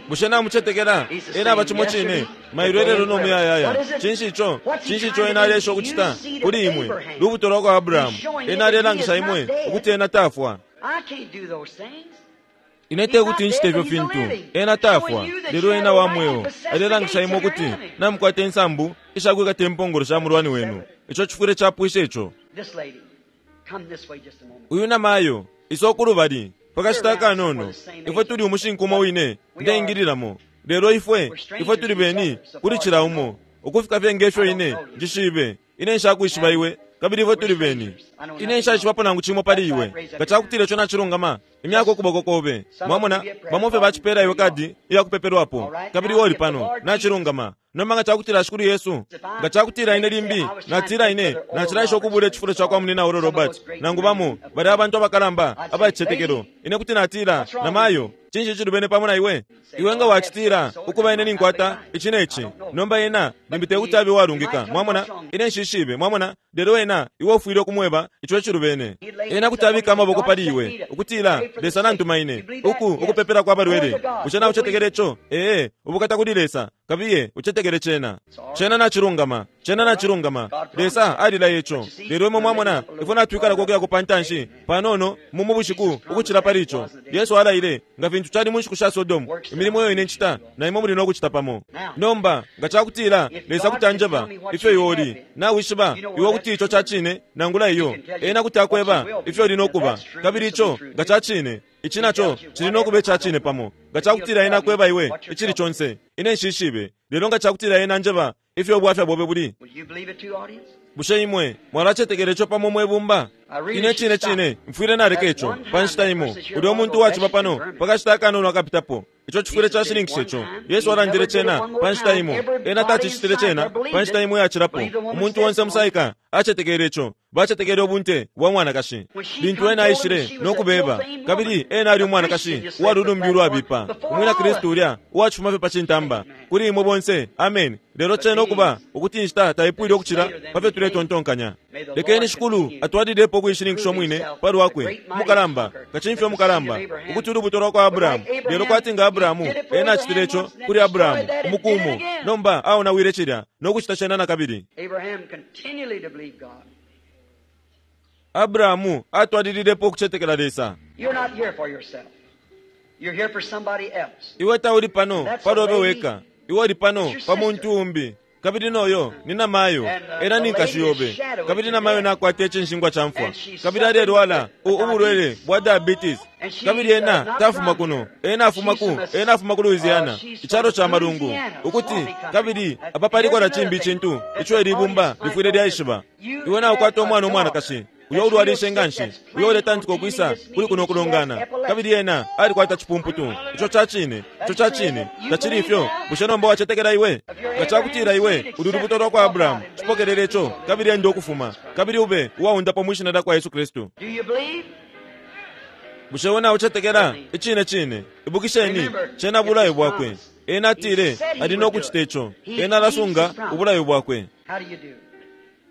Bushe namucetekela? Ena aba cimo cine mailo ilelo no muyayaya. Cinshi ico? Cinshi ico ena alesha ukucita kuli imwe? Lubuto lwa kwa Abrahamu. Ena alelangisha imwe ukuti ena tafwa. Ine te kuti nchite ifyo fintu. Ena tafwa, lelo ena wa mweo. Alelangisha imwe ukuti namukwata insambu ishakwikata impongolo sha mulwani wenu. Ico cifwile capwisha ico. Uyu namayo isokulubali pakashita akanono. Ifwe tuli umushinku umo wine ndeingililamo. Lelo ifwe ifwe tuli beni kuli cila umo ukufika fye ngefyo ine njishibe. Ine nshakwishiba iwe, kabili ifwe tuli beni. Ine nshaishibapo nangu cimo pali iwe. Nga cakutila ico nacilungama, imyaka ukuboko kobe. Mwamona, bamo fye bacipela iwe kadi iyakupepelwapo, kabili iwe uli pano. Nacilungama. Nomba nga cakutila Shikulu Yesu, nga cakutila ine limbi natila ine nacilaisha ukubula icifulo ca kwa munina Oral Roberts, nangu bamo bali abantu abakalamba abacicetekelo, ine kuti natila, namayo, cinshi icilubene pamo na iwe? Iwe nga wacitila ukuba ine ninkwata ici ne ci. Nomba ena limbi te kuti abe walungika. Mwamona, ine nshishibe. Mwamona, lelo ena iwe ufwile ukumweba ico icilubene. Ena kuti abika amaboko pali iwe ukutila, Lesa nantuma ine uku ukupepela kwa balwele. Bushe naucetekela ico? Ee, ubukata kuli Lesa. Kabiye ucetekele cena. Cena nacilungama. Cena nacilungama. Lesa alilaya ico. Lelo imwe mwamona, ifwe natwikala kokuya ku pantanshi panono mu mubushiku ukucila pali ico. Yesu alaile nga fintu cali mu nshiku sha Sodomu, imilimo iyo ine ncita na imwe muli nokucita pamo. Nomba nga cakutila Lesa kuti anjeba ifyo iwe uli, nawishiba iwe kuti ico ca cine nangula iyo, ena kuti akweba ifyo uli nokuba, kabili ico nga ca cine, ici naco cili nokuba ica cine pamo. Nga cakutila ena akweba iwe icili conse, ine nshishibe. Lelo nga cakutila ena anjeba ifyo ubwafya bobe buli, bushe imwe mwalacetekela ico pamo mwebumba? Ine cine cine mfwile naleka ico pa nshita imo. Ulya umuntu waciba pano pakashita akanono akapitapo. Ico cifwile cashininkisha ico. Yesu alandile cena pa nshita imo. Ena tacicitile cena pa nshita imo yacilapo. Umuntu onse musaika acetekele ico. Bacetekele ubunte bwa mwanakashi lintu ena aishile nokubeba, kabili ena ali umwanakashi uwalulumbi ulwabipa, umwina Kristu ulya uwacifuma fye pa cintamba. Kuli imwe bonse, amen. Lelo cena ukuba ukuti inshita taipwile ukucila pa fyo tuletontonkanya. Lekeni Shikulu atwalilepo ukuishininkisha umwine pa lwakwe umukalamba, kacimfya umukalamba, ukuti ulubuto lwa kwa Abrahamu. Lelo kwati nga Abrahamu, ena acitile ico kuli Abrahamu umukumu. Nomba aonawile cilya nokucita cena nakabili. Abrahamu atwalililepo ukucetekela Lesa. Iwe tauli pano palobe weka. Iwe uli pano pa muntu umbi. Kabili noyo ni namayo, ena ni nkashi yobe. Kabili namayo nakwata icinshingwa ca mfwa, kabili alelwala ubulwele bwa diabetes. Kabili ena tafuma kuno, ena afuma ku ena afuma ku Louisiana, icalo ca malungu. Ukuti kabili apa paliko na cimbi icintu ico ilibumba lifwile lyaishiba. Iwe naukwata umwana umwanakashi uyo ulwalishe nganshi, uyo uletantika ukwisa kuli kuno kulongana, kabili ena alikwata cipumputu. Ico ca cine, ico ca cine, tacili ifyo. Bushe nomba wacetekela iwe? Nga cakutila iwe uli lubuto lwa kwa Abrahamu, cipokelele ico, kabili enda ukufuma, kabili ube uwaundapwa mwi shina lya kwa Yesu Kristu. Bushe we naucetekela icine cine? Ibukisheni, cena bulayo bwakwe. Ena atile ali no kucita ico. Ena alasunga ubulayo bwakwe.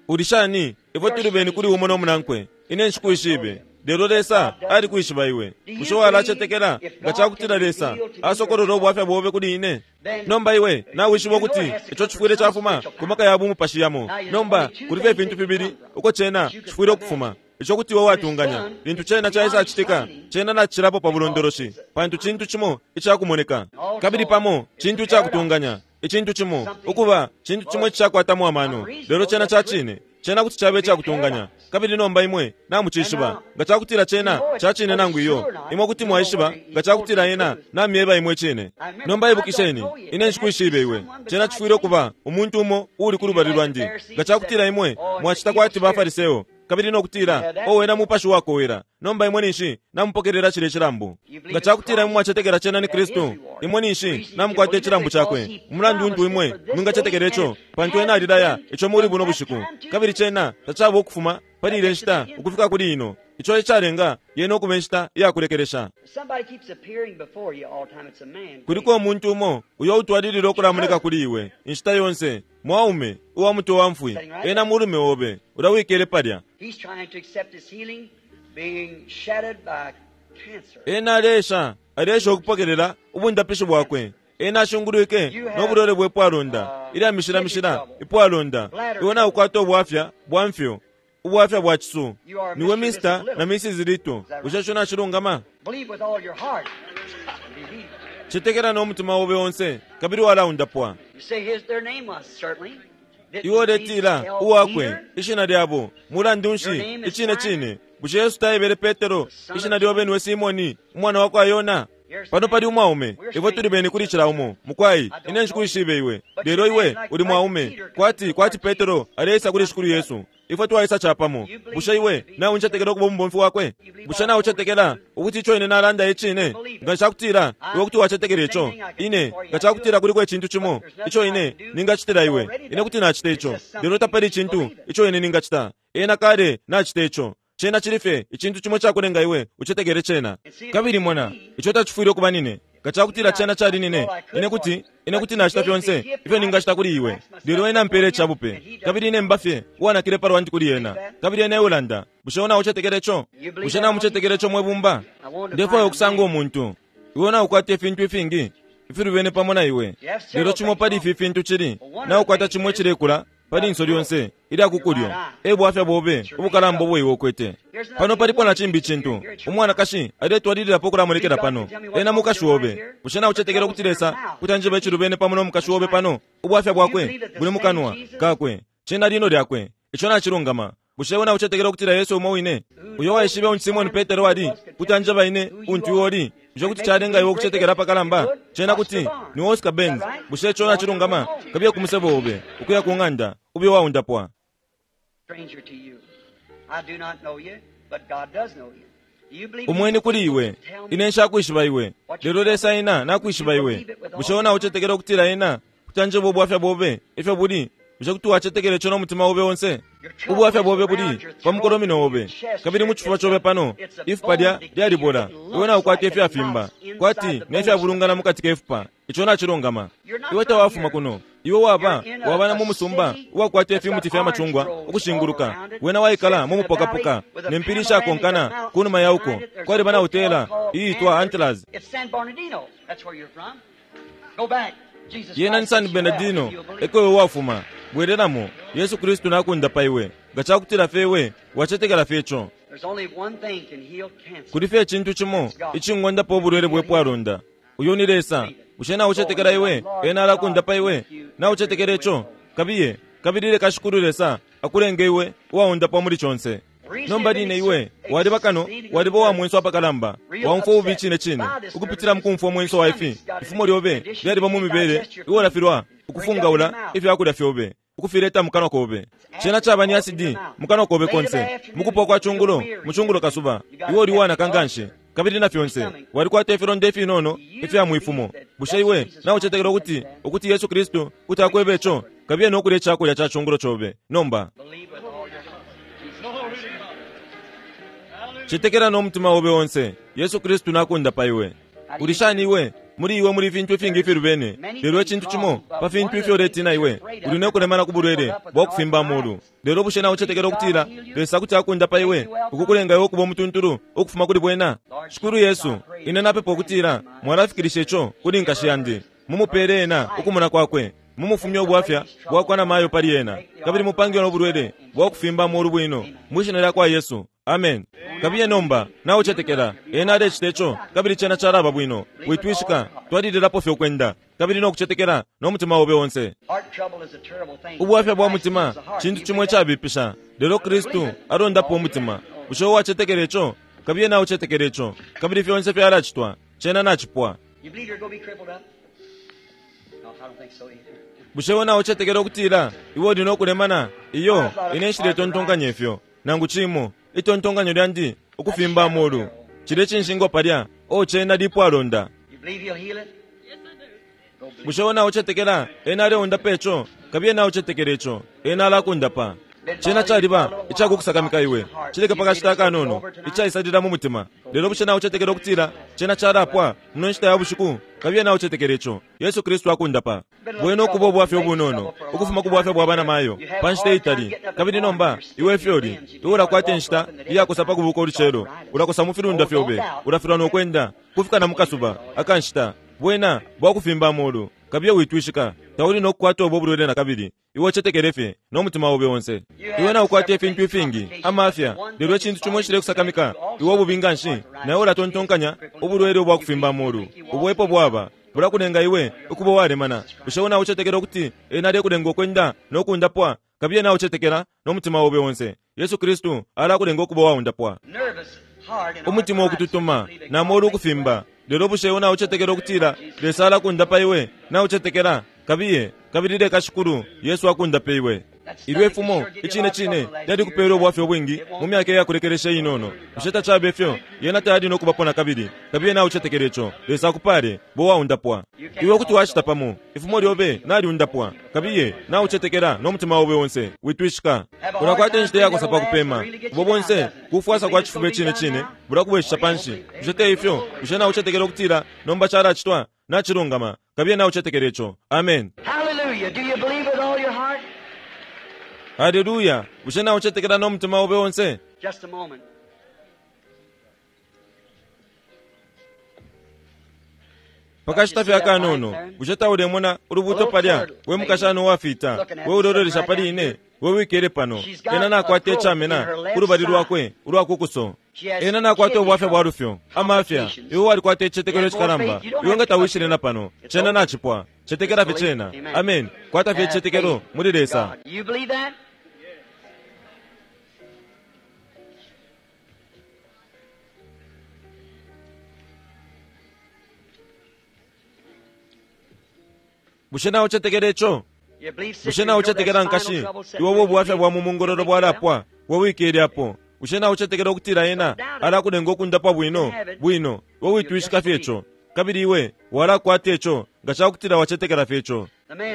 Uli shani ifwe tuli beni kuli umo no munankwe? Ine nshikwishibe, lelo Lesa alikwishiba iwe. Bushe walacetekela nga cakutila Lesa asokolola ubwafya bobe kuli ine? Nomba iwe nawishiba ukuti ico cifwile cafuma ku maka ya bumupashi yamo. Nomba kuliko ifintu fibili uko cena cifwile ukufuma. Ico kuti iwe watunganya lintu cena caisacitika, cena nacilapo pa bulondoloshi, pantu cintu cimo icakumoneka, kabili pamo cintu icakutunganya, icintu cimo ukuba cintu cimo icishakwatamo amano. Lelo cena ca cine, cena kuti cabe icakutunganya. Kabili nomba imwe namucishiba nga cakutila cena ca cine nangu iyo. Imwe kuti mwaishiba nga cakutila ena namyeba imwe cine. Nomba ibukisheni, ine nshikwishibe iwe. Cena cifwile ukuba umuntu umo uuli ku lubali lwandi. Nga cakutila imwe mwacita kwati ba Fariseo, kabili nokutila o wena mupashi wakowela, nomba imwe ninshi namupokelela cile cilambu. Nga cakutila imwe mwacetekela cena ni Kristu, imwe ninshi namukwata icilambu cakwe. Umulandu untu imwe mwingacetekela ico, pantu ena alilaya ico muli buno bushiku, kabili cena tacaba ukufuma pali ile nshita ukufika kuli ino. Ico ecalenga yena ukuba inshita iyakulekelesha. Kuliko umuntu umo uyo utwalilila ukulamoneka kuli iwe inshita yonse, mwaume uwa mutwe wa mfwi, ena mulume obe ulawikele palya. Ena alesha alesha ukupokelela ubundapishi bwakwe. Ena ashungulwike no bulwele bwe pwalonda, ilya mishila mishila ipwalonda. Iwe naukwata ubwafya bwa mfyo, ubwafya bwa cisu. Niwe Mister na Missus Lito. Bushe ico nacilungama? Cetekela no mutima obe onse, kabili walaundapwa. Iwe uletila uwakwe ishina lyabo mulandu nshi? Icine cine, bushe Yesu taebele Petero ishina lyobe niwe Simoni umwana wa kwa Yona? Pano pali umwaume, ifwe tuli beni kuli cila umo. Mukwai, ine nshikwishibe iwe, lelo iwe uli mwaume kwati kwati Petero aleisa kuli Shikulu Yesu. Ifwe twaisa capamo. Bushe iwe nauncetekela ukuba umubomfi wakwe? Bushe naucetekela ukuti ico ine nalanda icine? Nga ncakutila iwe kuti wacetekela ico, ine nga cakutila kuliko icintu cimo ico ine ningacitila iwe, ine kuti nacita ico. Lelo tapali icintu ico ine ningacita. Ena kale nacita ico. Cena cili fye icintu cimo cakulenga iwe ucetekele cena. Kabili mona, ico tacifwile ukuba nine. Nga cakutila cena cali nine, ine kuti ine kuti nacita fyonse ifyo ningacita kuli iwe. Lelo ena mpele icabupe, kabili ine mba fye uwanakile palwandi kuli ena, kabili ena eulanda. Bushe naucetekele ico? Bushe namucetekele ico mwe bumba? Ndefwaya ukusanga umuntu iwe naukwata ifintu ifingi ifilubene pamo na iwe, lelo cimo pali ifi fintu cili naukwata cimo icilekula pali inso lyonse ilya kukulyo, e bwafya bobe ubukalamba ubo iwe ukwete. Pano palipo na cimbi icintu. Umwanakashi aletwalililapo ukulamonekela pano, ena mukashi obe. Bushe naucetekela ukuti Lesa kuti anjeba icilubene pamo no mukashi obe pano? Ubwafya bwakwe buli mukanwa kakwe, cena lino lyakwe. Ico nacilungama. Bushe iwe naucetekela ukutila Yesu umo wine uyo waishibe untu Simoni Petero ali kuti anjeba ine untu iwe uli? Bushe kuti calenga iwe ukucetekela pakalamba? Cena kuti ni Oscar Benz. Bushe ico nacilungama? Kabiye ku musebo obe ukuya ku ng'anda, ube waundapwa. Umweni kuli iwe, ine nshakwishiba iwe, lelo Lesa ena nakwishiba iwe. Bushe iwe naucetekela ukutila ena kuti anjeba ubwafya bobe ifyo buli? Bushe kuti wacetekela ico no mutima obe onse? Ubwafya bobe buli pa mukolomino obe, kabili mu cifuba cobe pano ifupa lya lyalibola. Iwe naukwata ifyafimba kwati nefyabulungana mukati kefupa. Ico nacilungama. Iwe tawafuma kuno. Iwe waba waba na mu musumba uwakwata ifimuti fya macungwa ukushinguluka. Wena waikala mu mupokapoka ne mpili ishakonkana kunuma ya uko. Kwaliba na hotela iitwa Antlers. Yena ni San Bernardino, eko iwe wafuma. Bwelelamo, Yesu Kristu nakundapa iwe. Nga cakutila fye iwe wacetekela fye ico. Kuli fye icintu cimo icingondapo ubulwele bwe pwalonda. Uyo ni Lesa. Bushe naucetekela iwe ena alakundapa iwe? Naucetekela ico? Kabiye, kabili leka Shikulu Lesa akulenge iwe uwaundapwa muli conse. Nomba line iwe waliba kano, waliba uwa mwenso apakalamba, waumfwa ububi icine cine ukupitila mukumfwa umwenso wa ifi. Ifumo lyobe lyaliba mu mibele iwe ulafilwa ukufungaula ifyakulya fyobe ukufileta mukanwa kobe. Cena caba ni asidi mukanwa kobe konse. Mukupwa kwa cungulo, mucungulo kasuba, iwe uli wanaka nganshi, kabili na fyonse walikwata ifilonda ifinono ifya mwifumo. Bushe iwe naucetekela ukuti ukuti Yesu Kristu kuti akwebe ico? Kabiye nokulya icakulya ca cungulo cobe nomba. Cetekela no mutima obe onse. Yesu Kristu nakundapa iwe. Uli shani iwe? Muli iwe muli fintu ifingi ifilubene, lelo icintu cimo pa fintu ifyo uletina iwe uli nokulemana ku bulwele bwakufimba amolu. Lelo bushe naucetekela ukutila Lesa kuti akundapa iwe, ukukulenga iwe ukuba umutuntulu ukufuma kuli bwena? Shikulu Yesu, ine napepa ukutila mwalafikilisha ico kuli nkashi yandi. Mumupele ena ukumona kwakwe, mumufumye ubwafya bwakwa na mayo pali ena, kabili mupange nobulwele bwakufimba amolu bwino, mwishina lyakwa Yesu. Amen. Kabiye nomba naucetekela ena alecita ico, kabili cena calaba bwino. Witwishika, twalililapo fye ukwenda kabili nokucetekela nomutima obe onse. Ubwafya bwa mutima cintu cimo icabipisha, lelo Kristu alondapo umutima. Bushe uwacetekela ico? Kabiye naucetekela ico, kabili fyonse fyalacitwa. Cena nacipwa. Bushe we naucetekela ukutila iwe uli nokulemana? Iyo, ine nshiletontonkanya ifyo nangu cimo. Itontonkanyo lyandi ukufimba amolu cile cinshingo palya o cena lipwalonda. Bushe we naucetekela ena aleundapa ico? Kabiye naucetekela ico, ena alakundapa. Cena caliba icakukusakamika iwe, cileke pakashita akanono icaisalila mu mutima. Lelo bushe naucetekela ukutila cena calapwa muno nshita ya bushiku? Kabiye naucetekela ico, Yesu Kristu akundapa. Bwena ukuba ubwafya ubunono ukufuma ku bwafya bwa bana mayo pa nshita itali, kabili nomba iwe ifyoli iwe ulakwata inshita iyakosa pa kubuka ulucelo, ulakosa mu filunda fyobe, ulafilwa nokwenda kufika na mukasuba akanshita. Bwena bwakufimba amolu. Kabiye witwishika, tauli nokukwata ubo bulwele na kabili. Iwe ucetekele fye nomutima obe onse. Iwe naukwata ifintu ifingi amafya, lelo icintu cimo icilekusakamika iwe ububi nganshi, nawe ulatontonkanya ubulwele ubwakufimba amolu. Ubwepo bwaba bulakulenga iwe ukuba walemana. Bushe we naucetekela ukuti ena alekulenga ukwenda nokundapwa? Kabiye naucetekela nomutima obe onse. Yesu Kristu alakulenga ukuba waundapwa. Umutima ukututuma namolu ukufimba. Lelo bushe we naucetekela ukutila Lesa alakundapa iwe? Naucetekela? Kabiye, kabili leka Shikulu Yesu akundape iwe. Ilyo ifumo icine cine lyalikupela ubwafya ubwingi mu myaka iyakulekelesha inono. Bushe tacabe ifyo? Yena tayali nokubapo na kabili. Kabiye naucetekela ico. Lesa akupale, bo waundapwa. Iwe kuti wacita pamo, ifumo lyobe naliundapwa. Kabiye naucetekela nomutima obe onse. Witwishika. Ulakwata inshita iyakosa pa kupema. Ubo bonse kufwasa kwa cifuba icine cine bulakubwesha panshi. Bushe te ifyo? Bushe naucetekela ukutila nomba calacitwa? Nacilungama. Kabiye naucetekela ico. Amen. Hallelujah. Do you believe with all your heart? Hallelujah. Bushe naucetekela nomutima obe onse? Just a moment. Pakashita fye akanono, bushe taulemona ulubuto palya? We mukashana uwafita, we ulololesha pali ine, we wikele pano. Ena nakwata icamena kulubali lwakwe ulwakukuso. Ena nakwata ubwafya bwa lufyo amafya. Iwe walikwata icicetekelo icikalamba. Iwe nga tawishile na pano, cena nacipwa. Cetekela fye cena. Amen. Kwata fye icicetekelo muli Lesa. You believe that? Bushe naucetekela ico? You believe, Bushe sister, you know that naucetekela spinal nkashi? trouble set Iwe free? ubwafya bwa mumungololo bwalapwa, we wikele apo. Bushe naucetekela ukutila ena alakulenga ukundapwa bwino bwino? We witwishika fye ico, kabili iwe walakwata ico nga cakutila wacetekela fye ico.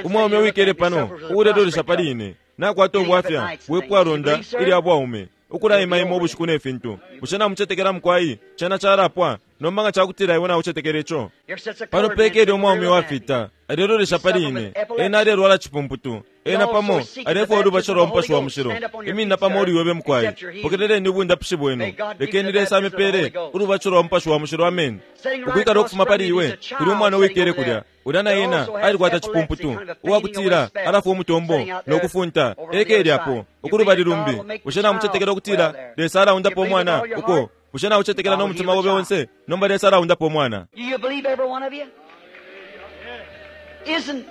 Umwaume wikele pano uulelolesha pali ine nakwata ubwafya bwepwalonda ilya bwaume, ukulaimaima ubushiku ne fintu. Bushe namucetekela mukwai? Cena calapwa nomba nga cakutila iwe naucetekela ico. Here sits a Pano colored man pekele sitting umwaume real wafita alelolesha pali ine. Ena alelwala cipumputu. Ena pamo alefwaya ulubatisho lwa Mupashi wa Mushilo. Imina pamo uliwebe mukwai. Pokeleleni ubundapishi bwenu. Lekeni Lesa amipele ulubatisho lwa Mupashi wa Mushilo. Amen. Ukwikala ukufuma pali iwe kuli umwana uwikele kulya. Ulya na ena alikwata cipumputu uwakutila alafwa umutombo nokufunta ekele apo ukulubali lumbi. Bushe namucetekela ukutila Lesa alaundapo umwana uko? Bushe naucetekela nomutima obe onse? Nomba Lesa alaundapo umwana. Do you believe, every one of you? Isn't,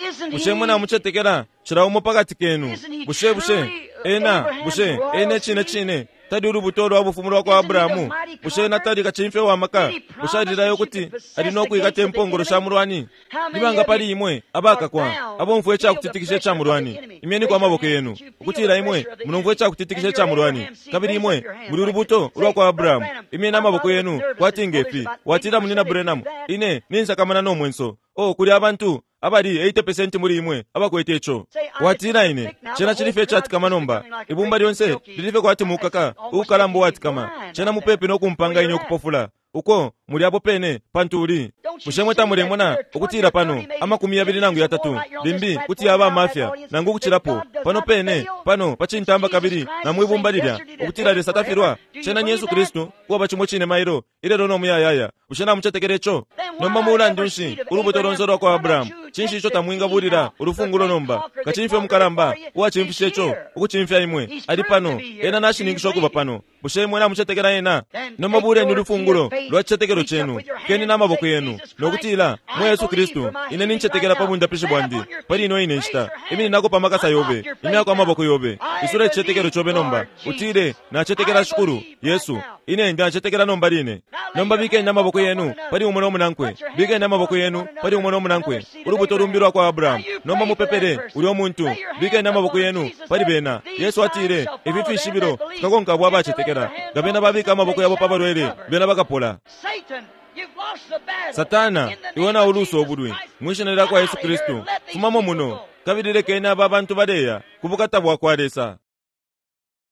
isn't Bushe he mwe namucetekela cila umo pakati kenu? Bushe bushe ena bushe ena icine cine tali ulubuto lwa bufumu lwa kwa Abrahamu? Bushe ena tali kacimfya wa maka? Bushe alilayo kuti ali nokwikata impongolo sha mulwani? Nibanga pali imwe abakakwa abomfwa icakutitikisha ica mulwani? Imyeniko amaboko yenu ukutila imwe mulomfwa icakutitikisha ica mulwani, kabili imwe muli ulubuto ulwa kwa Abrahamu. Imyeni amaboko yenu kwati ngefi. Watila munina Branham, ine ninsakamana nomwenso. O kuli abantu Abali eighty percent muli imwe abakwete ico. Watila ine, cena cili fye icatikama nomba. Ibumba lyonse lili fye kwati mukaka uukalamba uwatikama. Cena mupepi no kumpanga ine ukupofula. Uko muli apo pene pantu uli. Bushe mwe tamulemona ukutila pano amakumi yabili nangu yatatu limbi kuti yaba amafya nangu ukucilapo pano pene pano pa cintamba kabili na mwibumba lilya ukutila Lesa tafilwa. Cena ni Yesu Kristu uwaba cimo cine mailo ilelo no muyayaya. Bushe namucetekela ico? Nomba mulandu nshi ulubuto lonse lwa kwa Abrahamu? Cinshi ico tamwingabulila ulufungulo nomba? Kacimfya umukalamba uwacimfishe ico ukucimfya imwe ali pano. Ena nashininkisha ukuba pano. Bushe imwe namucetekela ena? Nomba buleni ulufungulo lwa cicetekelo cenu, keni na maboko yenu nokutila, mwe Yesu Kristu, ine nincetekela pa bundapishi bwandi pali ino ine nshita. Imininako pa makasa yobe, imyako amaboko yobe, isula icicetekelo cobe nomba, utile, nacetekela Shikulu Yesu, ine ndacetekela nomba line. Nomba bikeni amaboko yenu pali umo no munankwe, bikeni amaboko yenu pali umo no munankwe, ulubuto lumbi lwa kwa Abrahamu. Nomba mupepele ulyo muntu, bikeni amaboko yenu pali bena. Yesu atile, ifi fishibilo fikakonka abo abacetekela. Nga bena babika amaboko yabo pa balwele, bena bakapola. Satana, iwe na ulusa obulwi mwishina lya kwa Yesu Kristu, fumamo muno kabili lekeni aba bantu baleya ku bukata bwa kwa Lesa.